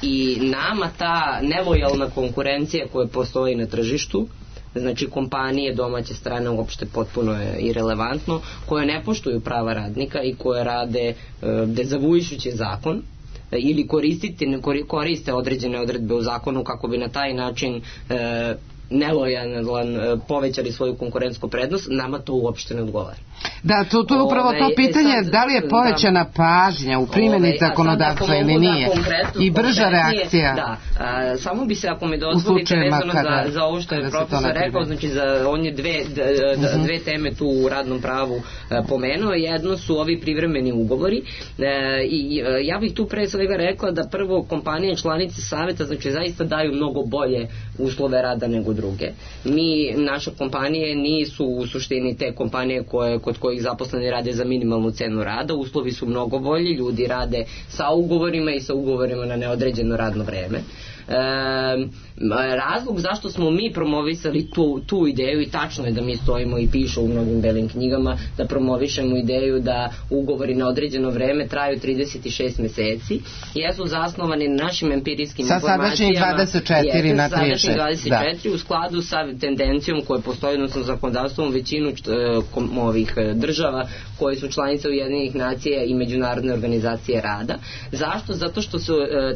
Speaker 3: I nama ta nelojalna konkurencija koja postoji na tržištu, znači kompanije domaće strane uopšte potpuno je irelevantno, koje ne poštuju prava radnika i koje rade dezavujući zakon ili koriste određene odredbe u zakonu kako bi na taj način nelojalan povećali svoju konkurentsku prednost, nama to uopšte ne odgovara.
Speaker 1: Da, to je upravo to pitanje, da li je povećana pažnja u primjeni zakonodavstva ili nije i brža reakcija.
Speaker 3: Da, samo bi se, ako mi dozvolite, vezano za ovo što je profesor rekao, znači on je dve teme tu u radnom pravu pomenuo. Jedno su ovi privremeni ugovori i ja bih tu pre svega rekla da prvo kompanije članice saveta znači zaista daju mnogo bolje uslove rada nego druge. Naše kompanije nisu u suštini te kompanije kod kojih zaposleni rade za minimalnu cenu rada, uslovi su mnogo bolji, ljudi rade sa ugovorima i sa ugovorima na neodređeno radno vreme. Razlog zašto smo mi promovisali tu ideju, i tačno je da mi stojimo i piše u mnogim belim knjigama da promovišemo ideju da ugovori na određeno vreme traju 36 meseci, jesu zasnovani na našim empirijskim informacijama.
Speaker 1: Sa sadašnjih 24 na 36.
Speaker 3: U skladu sa tendencijom koja postoji, odnosno zakonodavstvom većinu ovih država koje su članice Ujedinjenih nacija i Međunarodne organizacije rada. Zašto? Zato što su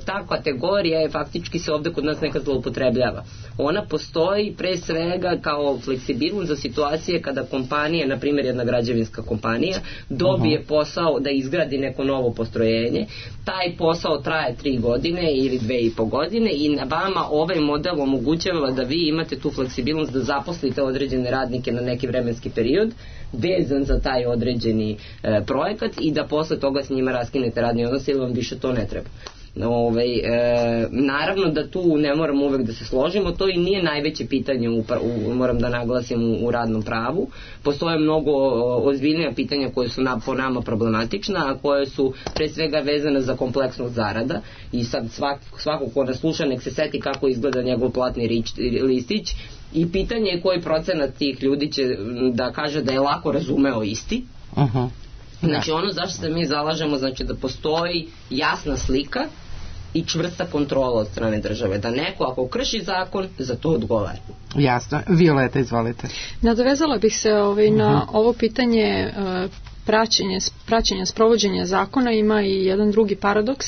Speaker 3: ta kategorija je faktički se ovde kod nas nekad zloupotrebljava. Ona postoji pre svega kao fleksibilnost za situacije kada kompanija, na primjer jedna građevinska kompanija, dobije posao da izgradi neko novo postrojenje. Taj posao traje 3 godine ili 2,5 godine i na vama ovaj model omogućava da vi imate tu fleksibilnost da zaposlite određene radnike na neki vremenski period vezan za taj određeni projekat i da posle toga s njima raskinete radni odnos ili vam više to ne treba. Naravno da tu ne moramo uvek da se složimo, to i nije najveće pitanje moram da naglasim u radnom pravu. Postoje mnogo ozbiljnija pitanja koje su po nama problematična, a koje su pre svega vezane za kompleksnost zarada i sad svako ko nas sluša nek se seti kako izgleda njegov platni listić i pitanje je koji procenat tih ljudi će da kaže da je lako razumeo isti. Znači ono zašto se mi zalažemo, znači da postoji jasna slika i čvrsta kontrola od strane države, da neko ako krši zakon za to odgovara.
Speaker 1: Jasno. Violeta, izvolite.
Speaker 4: Nadovezala bih se na ovo pitanje praćenja sprovođenja zakona. Ima i jedan drugi paradoks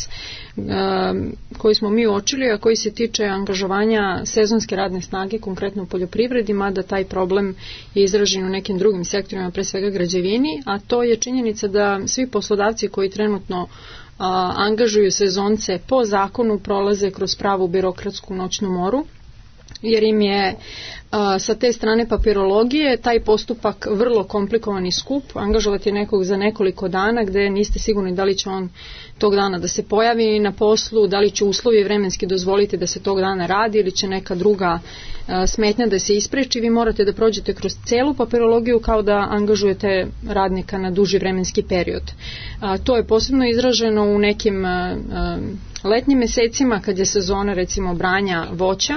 Speaker 4: koji smo mi uočili, a koji se tiče angažovanja sezonske radne snage, konkretno u poljoprivredi, mada taj problem je izražen u nekim drugim sektorima, pre svega građevini, a to je činjenica da svi poslodavci koji trenutno angažuju sezonce po zakonu prolaze kroz pravu birokratsku noćnu moru, jer im je sa te strane papirologije taj postupak vrlo komplikovan i skup. Angažovati nekog za nekoliko dana gde niste sigurni da li će on tog dana da se pojavi na poslu, da li će uslovi vremenski dozvoliti da se tog dana radi ili će neka druga smetnja da se ispreči. Vi morate da prođete kroz celu papirologiju kao da angažujete radnika na duži vremenski period. To je posebno izraženo u nekim letnjim mesecima kad je sezona recimo branja voća,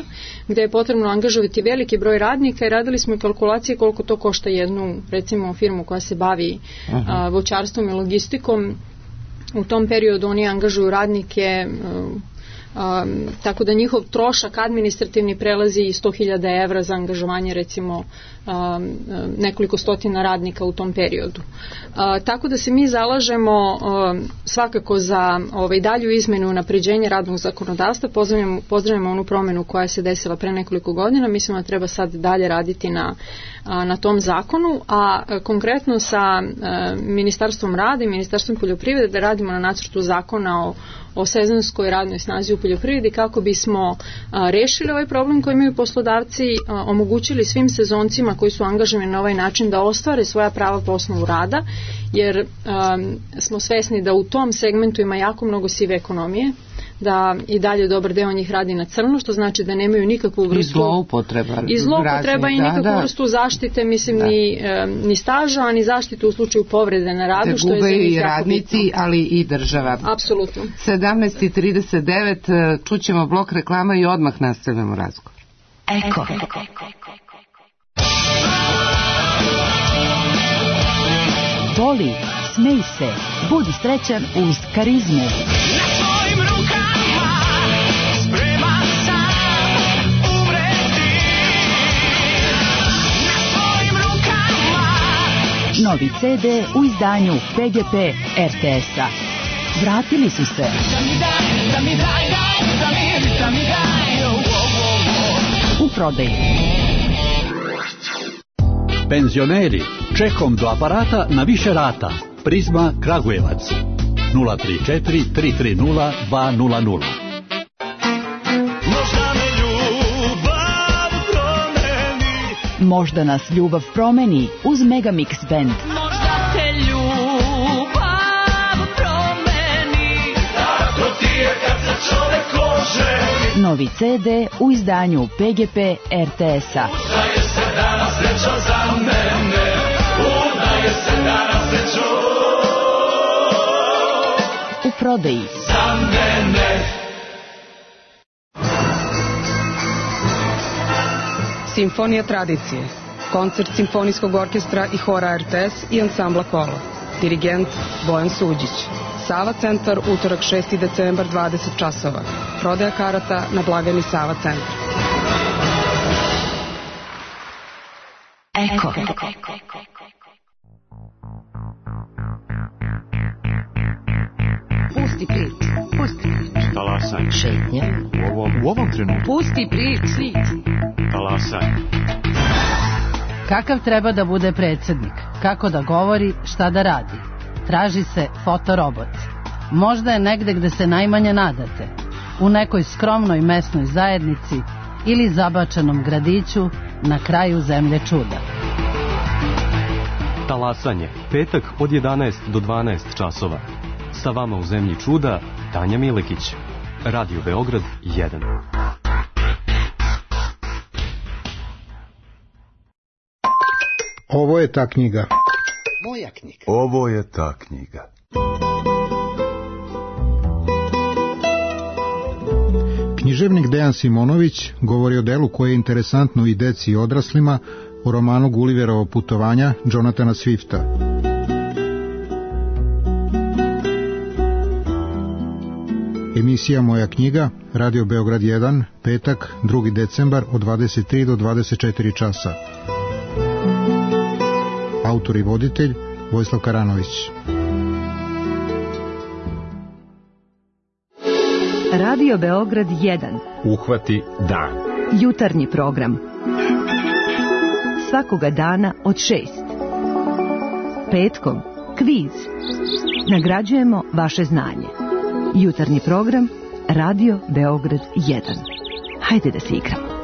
Speaker 4: gde je potrebno angažovati veliki broj radnika i radili smo i kalkulacije koliko to košta jednu recimo firmu koja se bavi voćarstvom i logistikom. U tom periodu oni angažuju radnike tako da njihov trošak administrativni prelazi i 100.000 evra za angažovanje recimo nekoliko stotina radnika u tom periodu. Tako da se mi zalažemo svakako za dalju izmenu i unapređenje radnog zakonodavstva. Pozdravljamo onu promenu koja se desila pre nekoliko godina. Mislimo da treba sad dalje raditi na tom zakonu, a konkretno sa Ministarstvom rada i Ministarstvom poljoprivrede da radimo na nacrtu zakona o sezonskoj radnoj snazi u poljoprivredi kako bismo rešili ovaj problem koji imaju poslodavci, omogućili svim sezoncima koji su angažovani na ovaj način da ostvare svoja prava po osnovu rada, jer smo svesni da u tom segmentu ima jako mnogo sive ekonomije, da i dalje dobar deo njih radi na crno, što znači da nemaju nikakvu vrstu
Speaker 1: i zloupotreba
Speaker 4: i nikakvu vrstu zaštite, mislim ni staža, ni zaštitu u slučaju povrede na radu, što je za njih jako
Speaker 1: radnici, bitno. Ali i država.
Speaker 4: Apsolutno.
Speaker 1: 17:39 čućemo blok reklama i odmah nastavljamo razgovor.
Speaker 5: Eko. Voli, smej se, budi srećan uz Karizmu. Novi CD u izdanju PGP RTS-a. Vratili su se. U prodaji.
Speaker 6: Penzioneri, čekom do aparata na više rata. Prizma Kragujevac. 034 330 200.
Speaker 5: Možda nas ljubav promeni uz Megamix Band.
Speaker 7: Možda te ljubav promeni. Tako ti je kad se čovek oženi.
Speaker 5: Novi CD u izdanju PGP RTS-a.
Speaker 7: Udaje se danas srećo za mene. Udaje se danas srećo.
Speaker 5: U prodaji.
Speaker 7: Za mene.
Speaker 8: Simfonija tradicije, koncert Simfonijskog orkestra i hora RTS i ansambla Kolo. Dirigent Bojan Suđić. Sava centar, utorak 6. decembar, 20 časova. Prodaja karata na blagajni Sava centar.
Speaker 5: Eko.
Speaker 9: Pusti priču.
Speaker 10: Talasanje.
Speaker 9: Šetnje.
Speaker 10: U ovom trenutku.
Speaker 9: Pusti priču.
Speaker 10: Talasanje.
Speaker 11: Kakav treba da bude predsjednik? Kako da govori, šta da radi? Traži se fotorobot. Možda je negde gde se najmanje nadate. U nekoj skromnoj mesnoj zajednici ili zabačenom gradiću na kraju zemlje čuda.
Speaker 10: Talasanje. Petak od 11 do 12 časova. Sa vama u zemlji čuda, Tanja Milekić. Radio Beograd 1.
Speaker 12: Ovo je ta knjiga.
Speaker 13: Moja knjiga.
Speaker 14: Ovo je ta knjiga.
Speaker 12: Književnik Dejan Simonović govori o delu koje je interesantno i deci i odraslima u romanu Gulliverovo putovanja Jonathana Swifta. Emisija Moja knjiga, Radio Beograd 1, petak, 2. decembar od 23 do 24 časa. Autor i voditelj Vojislav Karanović.
Speaker 5: Radio Beograd 1.
Speaker 10: Uhvati dan.
Speaker 5: Jutarnji program. Svakoga dana od 6. Petkom kviz. Nagrađujemo vaše znanje. Jutarnji program Radio Beograd 1. Hajde da se igramo.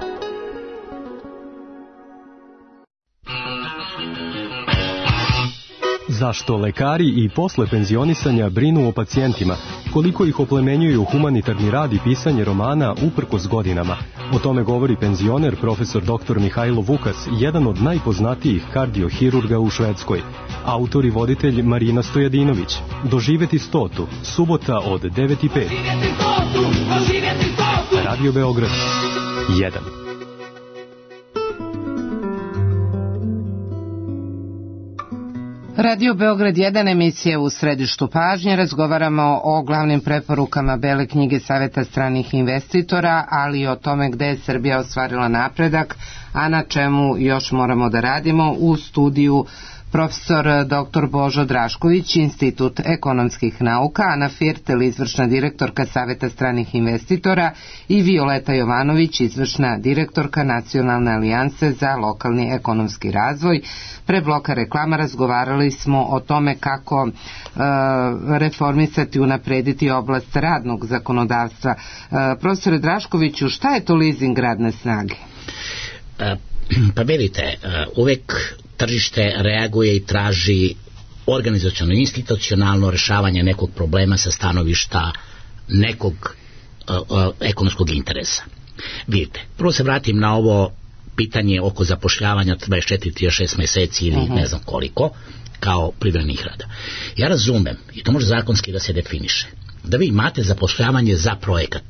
Speaker 10: Zašto lekari i posle penzionisanja brinu o pacijentima, koliko ih oplemenjuju humanitarni rad i pisanje romana uprkos godinama. O tome govori penzioner profesor dr. Mihajlo Vukas, jedan od najpoznatijih kardiohirurga u Švedskoj. Autor i voditelj Marina Stojadinović. Doživeti 100. Subota od 9:05. Radio Beograd 1.
Speaker 1: Radio Beograd 1, emisija u središtu pažnje. Razgovaramo o glavnim preporukama Bele knjige Saveta stranih investitora, ali i o tome gde je Srbija ostvarila napredak, a na čemu još moramo da radimo. U studiju profesor dr. Božo Drašković, Institut ekonomskih nauka, Ana Firtel, izvršna direktorka Saveta stranih investitora i Violeta Jovanović, izvršna direktorka Nacionalne alijanse za lokalni ekonomski razvoj. Pre bloka reklama razgovarali smo o tome kako reformisati, unaprediti oblast radnog zakonodavstva. Profesore Draškoviću, šta je to leasing radne snage?
Speaker 2: Pa vidite, uvek tržište reaguje i traži organizaciono institucionalno rešavanje nekog problema sa stanovišta nekog ekonomskog interesa. Vidite, prvo se vratim na ovo pitanje oko zapošljavanja 24-36 meseci ili ne znam koliko kao privremenih rada. Ja razumem, i to može zakonski da se definiše, da vi imate zapošljavanje za projekat.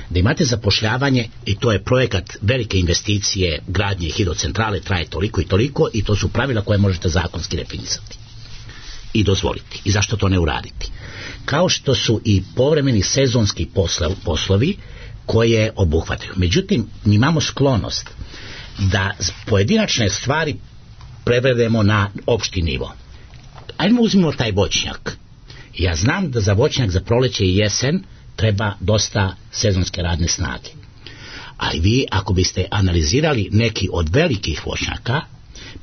Speaker 2: Da imate zapošljavanje i to je projekat velike investicije gradnje hidrocentrale, traje toliko i toliko i to su pravila koje možete zakonski definisati i dozvoliti. I zašto to ne uraditi? Kao što su i povremeni sezonski poslovi koje obuhvataju. Međutim, mi imamo sklonost da pojedinačne stvari prevedemo na opšti nivo. Ajmo uzmimo taj voćnjak. Ja znam da za voćnjak za proleće i jesen treba dosta sezonske radne snage. Ali vi, ako biste analizirali neki od velikih voćnjaka,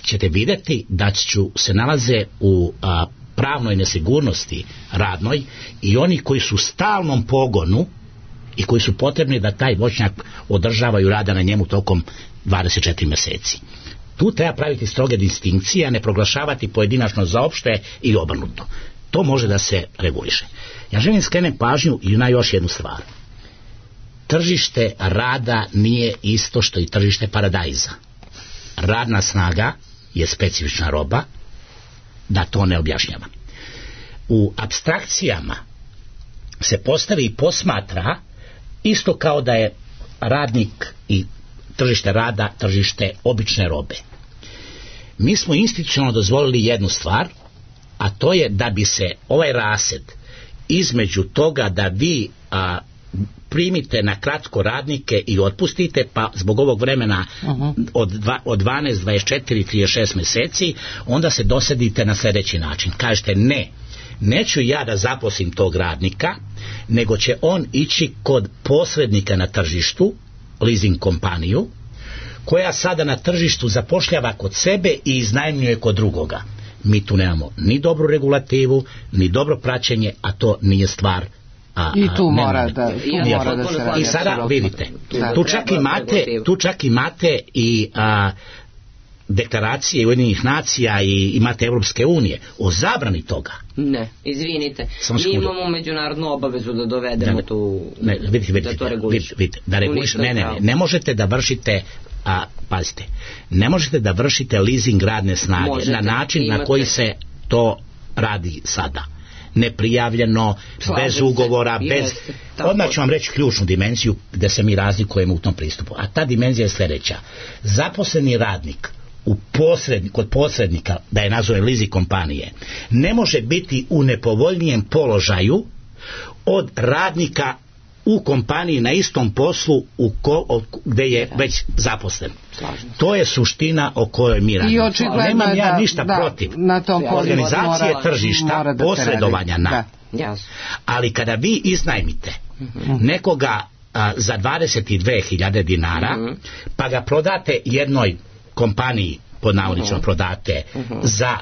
Speaker 2: ćete vidjeti da se nalaze u pravnoj nesigurnosti radnoj i oni koji su u stalnom pogonu i koji su potrebni da taj voćnjak održavaju rada na njemu tokom 24 meseci. Tu treba praviti stroge distinkcije, a ne proglašavati pojedinačno za opšte i obrnuto. To može da se reguliše. Ja želim skrenem pažnju i na još jednu stvar. Tržište rada nije isto što i tržište paradajza. Radna snaga je specifična roba, da to ne objašnjava. U apstrakcijama se postavi i posmatra isto kao da je radnik i tržište rada tržište obične robe. Mi smo institucionalno dozvolili jednu stvar, a to je da bi se ovaj rased između toga da vi primite na kratko radnike i otpustite, pa zbog ovog vremena od 12, 24, 36 meseci, onda se dosadite na sljedeći način. Kažete neću ja da zaposlim tog radnika, nego će on ići kod posrednika na tržištu, leasing kompaniju, koja sada na tržištu zapošljava kod sebe i iznajmljuje kod drugoga. Mi tu nemamo ni dobru regulativu, ni dobro praćenje, a to nije stvar.
Speaker 1: I tu mora da se radi.
Speaker 2: I sada vidite, tu čak imate i deklaracije Ujedinjenih nacija i imate Evropske unije o zabrani toga.
Speaker 3: Ne, izvinite, mi imamo međunarodnu obavezu da dovedemo da to regulišemo.
Speaker 2: Ne možete da vršite, pazite, ne možete da vršite leasing radne snage na način na koji se to radi sada. Neprijavljeno, bez ugovora, bez... Odmah ću vam reći ključnu dimenziju gde se mi razlikujemo u tom pristupu. A ta dimenzija je sljedeća. Zaposleni radnik kod posrednika, da je nazove leasing kompanije, ne može biti u nepovoljnijem položaju od radnika u kompaniji na istom poslu gde je već zaposlen. To je suština o kojoj mi radimo. Nemam ja ništa protiv organizacije tržišta, posredovanja ali kada vi iznajmite nekoga za 22.000 dinara, pa ga prodate jednoj kompaniji, pod navodnicima prodate za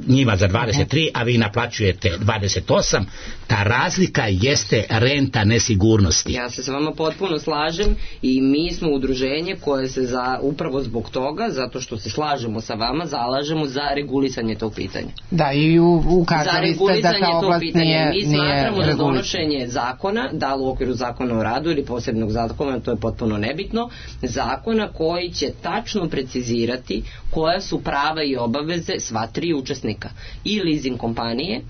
Speaker 2: njima za 23, a vi naplaćujete 28, ta razlika jeste renta nesigurnosti.
Speaker 3: Ja se s vama potpuno slažem i mi smo udruženje koje se upravo zbog toga, zato što se slažemo sa vama, zalažemo za regulisanje tog pitanja.
Speaker 1: Da, i ukazali ste da ta oblast nije
Speaker 3: mi smatramo da donošenje zakona, da li u okviru zakona o radu ili posebnog zakona, to je potpuno nebitno, zakona koji će tačno precizirati koja su prava i obaveze sva tri učesnika, i leasing kompanije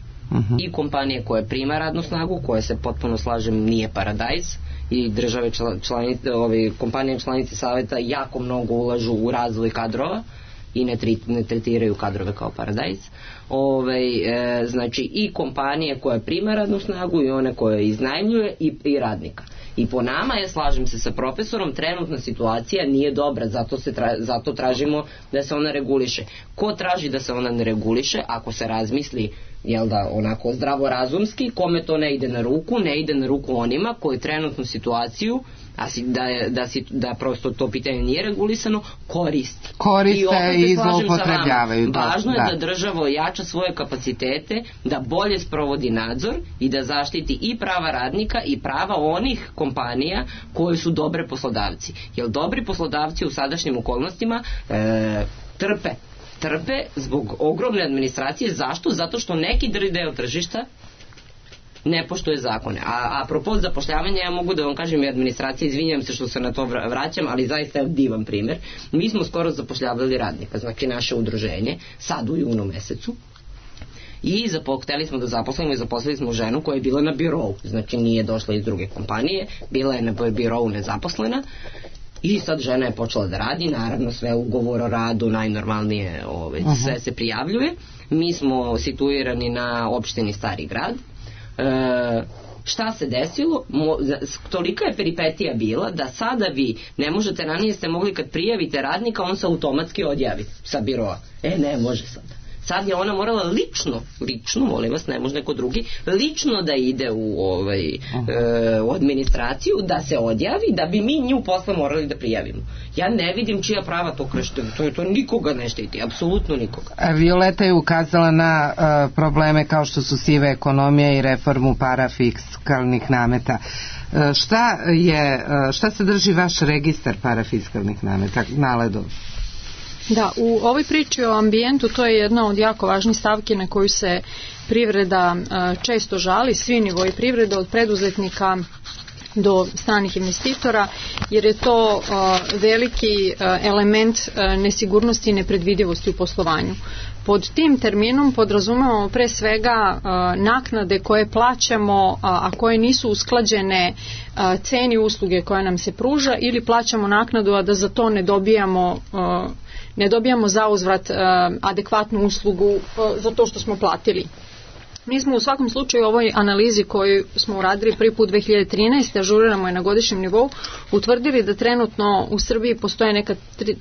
Speaker 3: i kompanije koje prima radnu snagu, koje se potpuno slažem nije paradajz, i države kompanije članice saveta jako mnogo ulažu u razvoj kadrova i ne tretiraju kadrove kao paradajz. Znači i kompanije koje prima radnu snagu i one koje iznajmljuje i radnika. I po nama, ja slažem se sa profesorom, trenutna situacija nije dobra, zato tražimo da se ona reguliše. Ko traži da se ona ne reguliše, ako se razmisli, jel da, onako zdravorazumski, kome to ne ide na ruku, ne ide na ruku onima koji trenutnu situaciju, da prosto to pitanje nije regulisano,
Speaker 1: koriste i zloupotrebljavaju.
Speaker 3: Važno je da država ojača svoje kapacitete, da bolje sprovodi nadzor i da zaštiti i prava radnika i prava onih kompanija koji su dobre poslodavci. Jer dobri poslodavci u sadašnjim okolnostima trpe zbog ogromne administracije. Zašto? Zato što neki deo tržišta ne poštuje zakone. A propos zapošljavanja, ja mogu da vam kažem i administracija, izvinjam se što se na to vraćam, ali zaista je divan primjer. Mi smo skoro zapošljavali radnika, znači naše udruženje, sad u junu mesecu, i hteli smo da zaposlimo i zaposlili smo ženu koja je bila na birou, znači nije došla iz druge kompanije, bila je na birou nezaposlena. I sad žena je počela da radi, naravno sve ugovor o radu, najnormalnije sve se prijavljuje. Mi smo situirani na opštini Stari Grad. Šta se desilo? Tolika je peripetija bila da sada vi ne možete, ranije ste mogli kad prijavite radnika, on se automatski odjavi sa biroa. Ne može sada. Sad je ona morala lično, molim vas, ne može neko drugi, lično da ide u administraciju, da se odjavi, da bi mi nju posle morali da prijavimo. Ja ne vidim čija prava to kršte, to nikoga ne štiti, apsolutno nikoga.
Speaker 1: Violeta je ukazala na probleme kao što su siva ekonomija i reformu parafiskalnih nameta. Šta se drži vaš registar parafiskalnih nameta, Naledo?
Speaker 4: Da, u ovoj priči o ambijentu to je jedna od jako važnih stavki na koju se privreda često žali, svi nivoi privrede, od preduzetnika do stranih investitora, jer je to veliki element nesigurnosti i nepredvidivosti u poslovanju. Pod tim terminom podrazumevamo pre svega naknade koje plaćamo, a koje nisu usklađene ceni usluge koja nam se pruža, ili plaćamo naknadu, a da za to ne dobijamo zauzvrat adekvatnu uslugu za to što smo platili. Mi smo u svakom slučaju u ovoj analizi koju smo uradili prvi put 2013. ažuriramo je na godišnjem nivou, utvrdili da trenutno u Srbiji postoje neka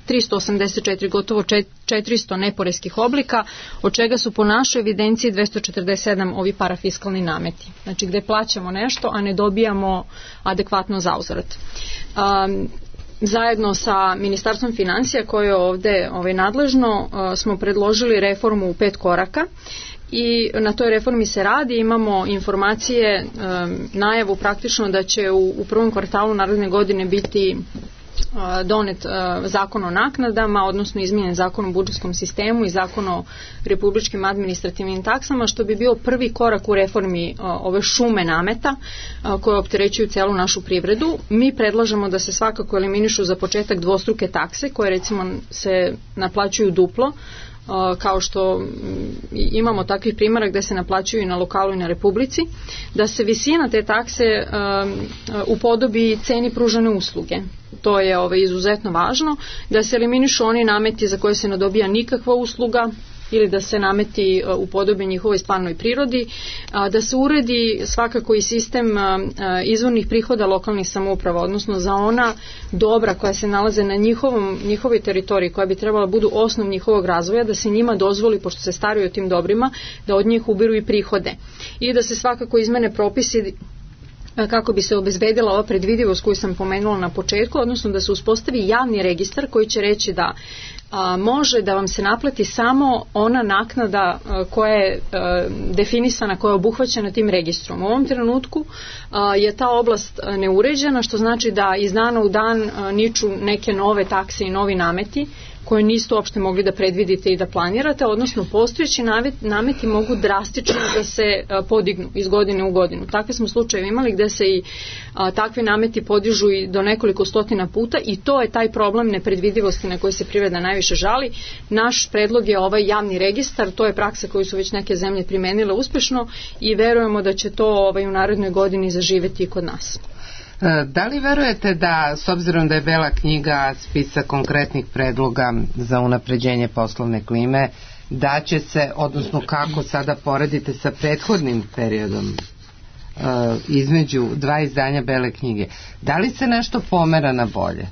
Speaker 4: 384, gotovo 400 neporeskih oblika, od čega su po našoj evidenciji 247 ovi parafiskalni nameti. Znači gde plaćamo nešto, a ne dobijamo adekvatno zauzvrat. Zajedno sa Ministarstvom financija koje je ovde nadležno smo predložili reformu u 5 koraka i na toj reformi se radi, imamo informacije, najavu praktično da će u prvom kvartalu naredne godine biti donet zakon o naknadama, odnosno izmijenjen zakon o budžetskom sistemu i zakon o republičkim administrativnim taksama, što bi bio prvi korak u reformi ove šume nameta koje opterećuju celu našu privredu. Mi predlažemo da se svakako eliminišu za početak dvostruke takse koje recimo se naplaćuju duplo, kao što imamo takvih primjera gde se naplaćuju i na lokalu i na republici, da se visina te takse upodobi ceni pružane usluge. To je izuzetno važno, da se eliminišu oni nameti za koje se ne dobija nikakva usluga ili da se nameti upodobe njihovoj stvarnoj prirodi, da se uredi svakako i sistem izvornih prihoda lokalnih samouprava, odnosno za ona dobra koja se nalaze na njihovoj teritoriji, koja bi trebala budu osnov njihovog razvoja, da se njima dozvoli, pošto se staraju o tim dobrima, da od njih ubiru i prihode. I da se svakako izmene propisi kako bi se obezbedila ova predvidivost koju sam pomenula na početku, odnosno da se uspostavi javni registar koji će reći da može da vam se naplati samo ona naknada koja je definisana, koja je obuhvaćena tim registrom. U ovom trenutku je ta oblast neuređena, što znači da iz dana u dan niču neke nove takse i novi nameti koje niste uopšte mogli da predvidite i da planirate, odnosno postojeći nameti mogu drastično da se podignu iz godine u godinu. Takve smo slučajeve imali gde se i takvi nameti podižu i do nekoliko stotina puta i to je taj problem nepredvidivosti na koji se privreda najviše žali. Naš predlog je ovaj javni registar, to je praksa koju su već neke zemlje primenile uspešno i verujemo da će to u narednoj godini zaživeti i kod nas.
Speaker 1: Da li verujete da, s obzirom da je Bela knjiga spisak konkretnih predloga za unapređenje poslovne klime, da će se, odnosno kako sada poredite sa prethodnim periodom između dva izdanja Bele knjige, da li se nešto pomera na bolje?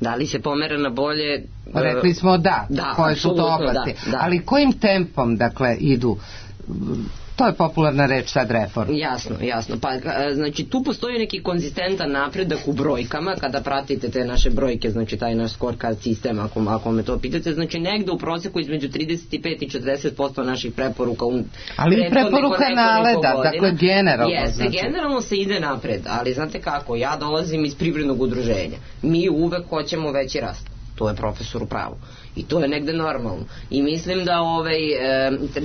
Speaker 3: Da li se pomera na bolje?
Speaker 1: Rekli smo da koje su to oblasti, ali kojim tempom, dakle, idu? To je popularna reč sad, reforma.
Speaker 3: Jasno. Pa, znači, tu postoji neki konzistentan napredak u brojkama, kada pratite te naše brojke, znači taj naš scorecard sistem, ako me to pitate, znači negde u proseku između 35 i 40% naših preporuka
Speaker 1: ali i preporuka naleda, dakle generalno.
Speaker 3: Jeste, generalno se ide napred, ali znate kako, ja dolazim iz privrednog udruženja. Mi uvek hoćemo veći rast. To je profesor u pravu. I to je negde normalno. I mislim da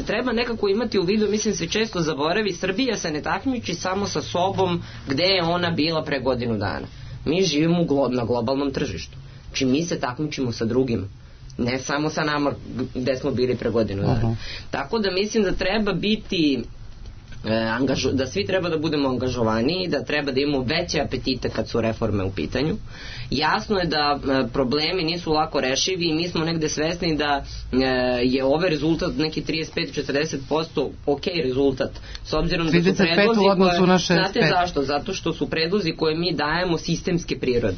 Speaker 3: treba nekako imati u vidu, mislim se često zaboravi, Srbija se ne takmiči samo sa sobom gde je ona bila pre godinu dana. Mi živimo na globalnom tržištu. Znači mi se takmičimo sa drugim. Ne samo sa nama gde smo bili pre godinu dana. Tako da mislim da treba biti da svi treba da budemo angažovaniji, da treba da imamo veće apetite kad su reforme u pitanju. Jasno je da problemi nisu lako rešivi i mi smo negde svesni da je ovaj rezultat neki 35-40% ok rezultat, s obzirom da su predlozi znate zašto? Zato što su predlozi koje mi dajemo sistemske prirode.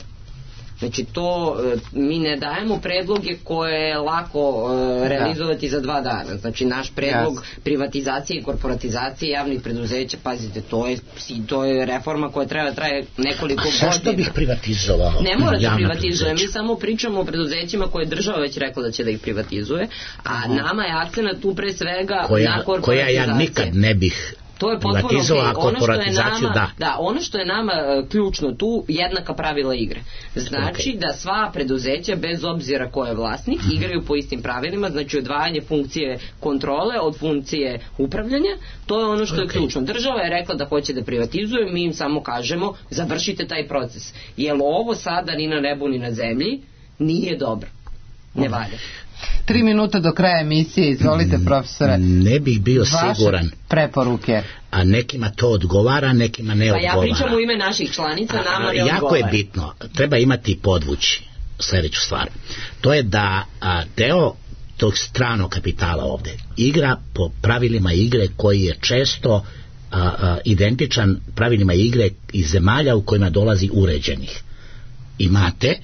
Speaker 3: Znači to, mi ne dajemo predloge koje je lako realizovati za 2 dana. Znači naš predlog privatizacije i korporatizacije javnih preduzeća, pazite, to je reforma koja treba traje nekoliko godina.
Speaker 2: A što bih privatizovao?
Speaker 3: Ne mora da privatizuje, mi samo pričamo o preduzećima koje je država već rekla da će da ih privatizuje, a nama je akcenat tu pre svega na korporatizaciju.
Speaker 2: Koja ja nikad ne bih
Speaker 3: to je potpuno okay. Ono što je nama ključno tu, jednaka pravila igre. Znači da sva preduzeća, bez obzira ko je vlasnik, igraju po istim pravilima, znači odvajanje funkcije kontrole od funkcije upravljanja, to je ono što je ključno. Država je rekla da hoće da privatizuje, mi im samo kažemo završite taj proces. Jer ovo sada ni na nebu ni na zemlji nije dobro. Ne valja.
Speaker 1: 3 minuta do kraja emisije, izvolite profesore.
Speaker 2: Ne bih bio siguran.
Speaker 1: Vaše preporuke.
Speaker 2: A nekima to odgovara, nekima ne odgovara.
Speaker 3: Pa ja pričam u ime naših članica, nama ne odgovara.
Speaker 2: Jako je bitno, treba imati podvući sljedeću stvar. To je da deo tog stranog kapitala ovde igra po pravilima igre koji je često identičan pravilima igre iz zemalja u kojima dolazi uređenih. Imate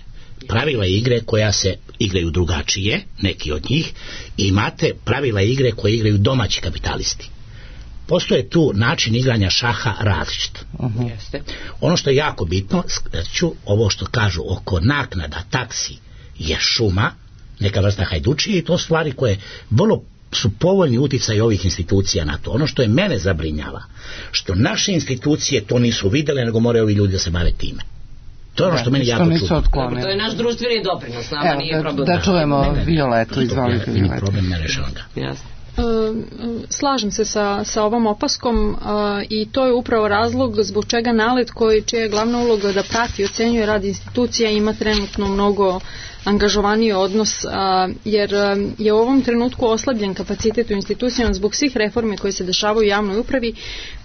Speaker 2: pravila igre koja se igraju drugačije, neki od njih, i imate pravila igre koje igraju domaći kapitalisti. Postoje tu način igranja šaha različit. Ono što je jako bitno, ovo što kažu oko naknada, taksi, je šuma, neka vrsta hajdučije, i to stvari koje vrlo su povoljni uticaj ovih institucija na to. Ono što je mene zabrinjava, što naše institucije to nisu vidjele, nego moraju ovi ljudi da se bave time. To je ono što meni jako čudno.
Speaker 3: To je naš društveni doprinos, nama nije problem.
Speaker 1: Da čujemo Violetu, izvolite Violetu.
Speaker 2: Problem ne rešavam ga.
Speaker 3: Jasno.
Speaker 4: Slažem se sa ovom opaskom i to je upravo razlog zbog čega NALED, čija je glavna uloga da prati i ocenjuje rad institucija, ima trenutno mnogo angažovaniji odnos, jer je u ovom trenutku oslabljen kapacitet u institucijama zbog svih reformi koje se dešavaju u javnoj upravi,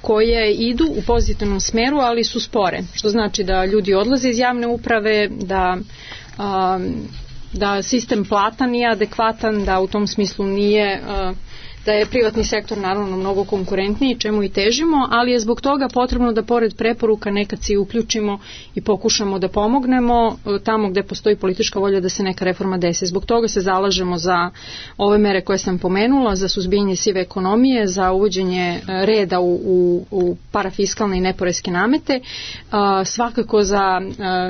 Speaker 4: koje idu u pozitivnom smeru, ali su spore, što znači da ljudi odlaze iz javne uprave, da sistem plata nije adekvatan, da u tom smislu nije, da je privatni sektor naravno mnogo konkurentniji, čemu i težimo, ali je zbog toga potrebno da pored preporuka nekad se uključimo i pokušamo da pomognemo tamo gde postoji politička volja da se neka reforma desi. Zbog toga se zalažemo za ove mere koje sam pomenula, za suzbijanje sive ekonomije, za uvođenje reda u parafiskalne i neporeske namete, svakako za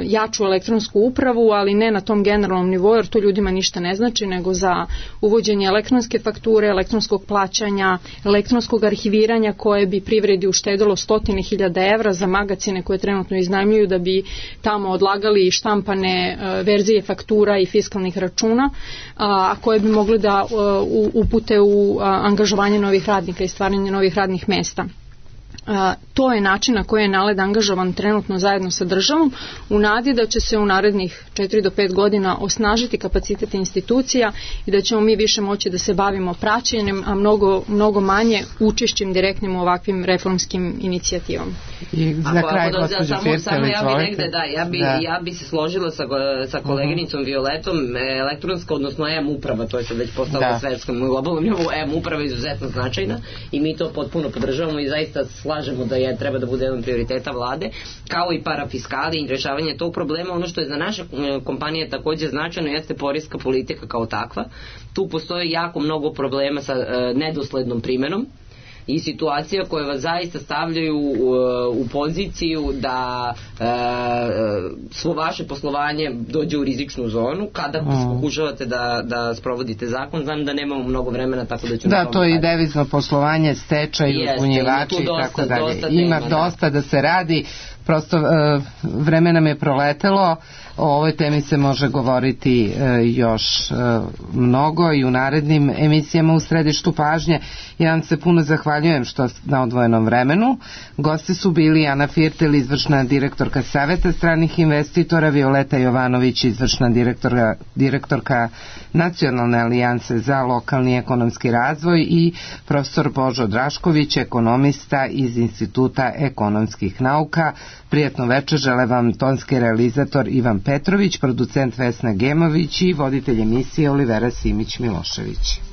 Speaker 4: jaču elektronsku upravu, ali ne na tom generalnom nivou, jer to ljudima ništa ne znači, nego za uvođenje elektronske fakture, elektronskog plaćanja, elektronskog arhiviranja koje bi privredi uštedilo 100.000 evra za magacine koje trenutno iznajmljuju da bi tamo odlagali štampane verzije faktura i fiskalnih računa, a koje bi mogli da upute u angažovanje novih radnika i stvaranje novih radnih mesta. to je način na koji je NALED angažovan trenutno zajedno sa državom, u nadi da će se u narednih 4 do 5 godina osnažiti kapacitet institucija i da ćemo mi više moći da se bavimo praćenjem, a mnogo manje učešćem direktnim u ovakvim reformskim inicijativama.
Speaker 1: I za kraj, gospođo Firtel,
Speaker 3: ja bi se složila sa koleginicom Violetom. Elektronska, odnosno e-uprava, to je sad već postalo na svetskom globalnom nivou, e-uprava je izuzetno značajna i mi to potpuno podržavamo i zaista slažemo da treba da bude jedan prioriteta vlade, kao i parafiskali i rešavanje tog problema. Ono što je za naše kompanije takođe značajno jeste poreska politika kao takva. Tu postoji jako mnogo problema sa nedoslednom primenom i situacija koje vas zaista stavljaju u poziciju da svo vaše poslovanje dođe u rizičnu zonu kada pokušavate da sprovodite zakon. Znam da nemamo mnogo vremena, tako da ću...
Speaker 1: Da, to je i devizno poslovanje, stečaj, uzbunjivači i tako dalje. Ima dosta da se radi, prosto vreme nam je proletelo. O ovoj temi se može govoriti još mnogo i u narednim emisijama u središtu pažnje. Ja vam se puno zahvaljujem što na odvojenom vremenu. Gosti su bili Ana Firtel, izvršna direktorka Saveta stranih investitora, Violeta Jovanović, izvršna direktorka Nacionalne alijanse za lokalni ekonomski razvoj i profesor Božo Drašković, ekonomista iz Instituta ekonomskih nauka. Prijatno večer žele vam tonski realizator Ivan Petrović, producent Vesna Gemović i voditelj emisije Olivera Simić-Milošević.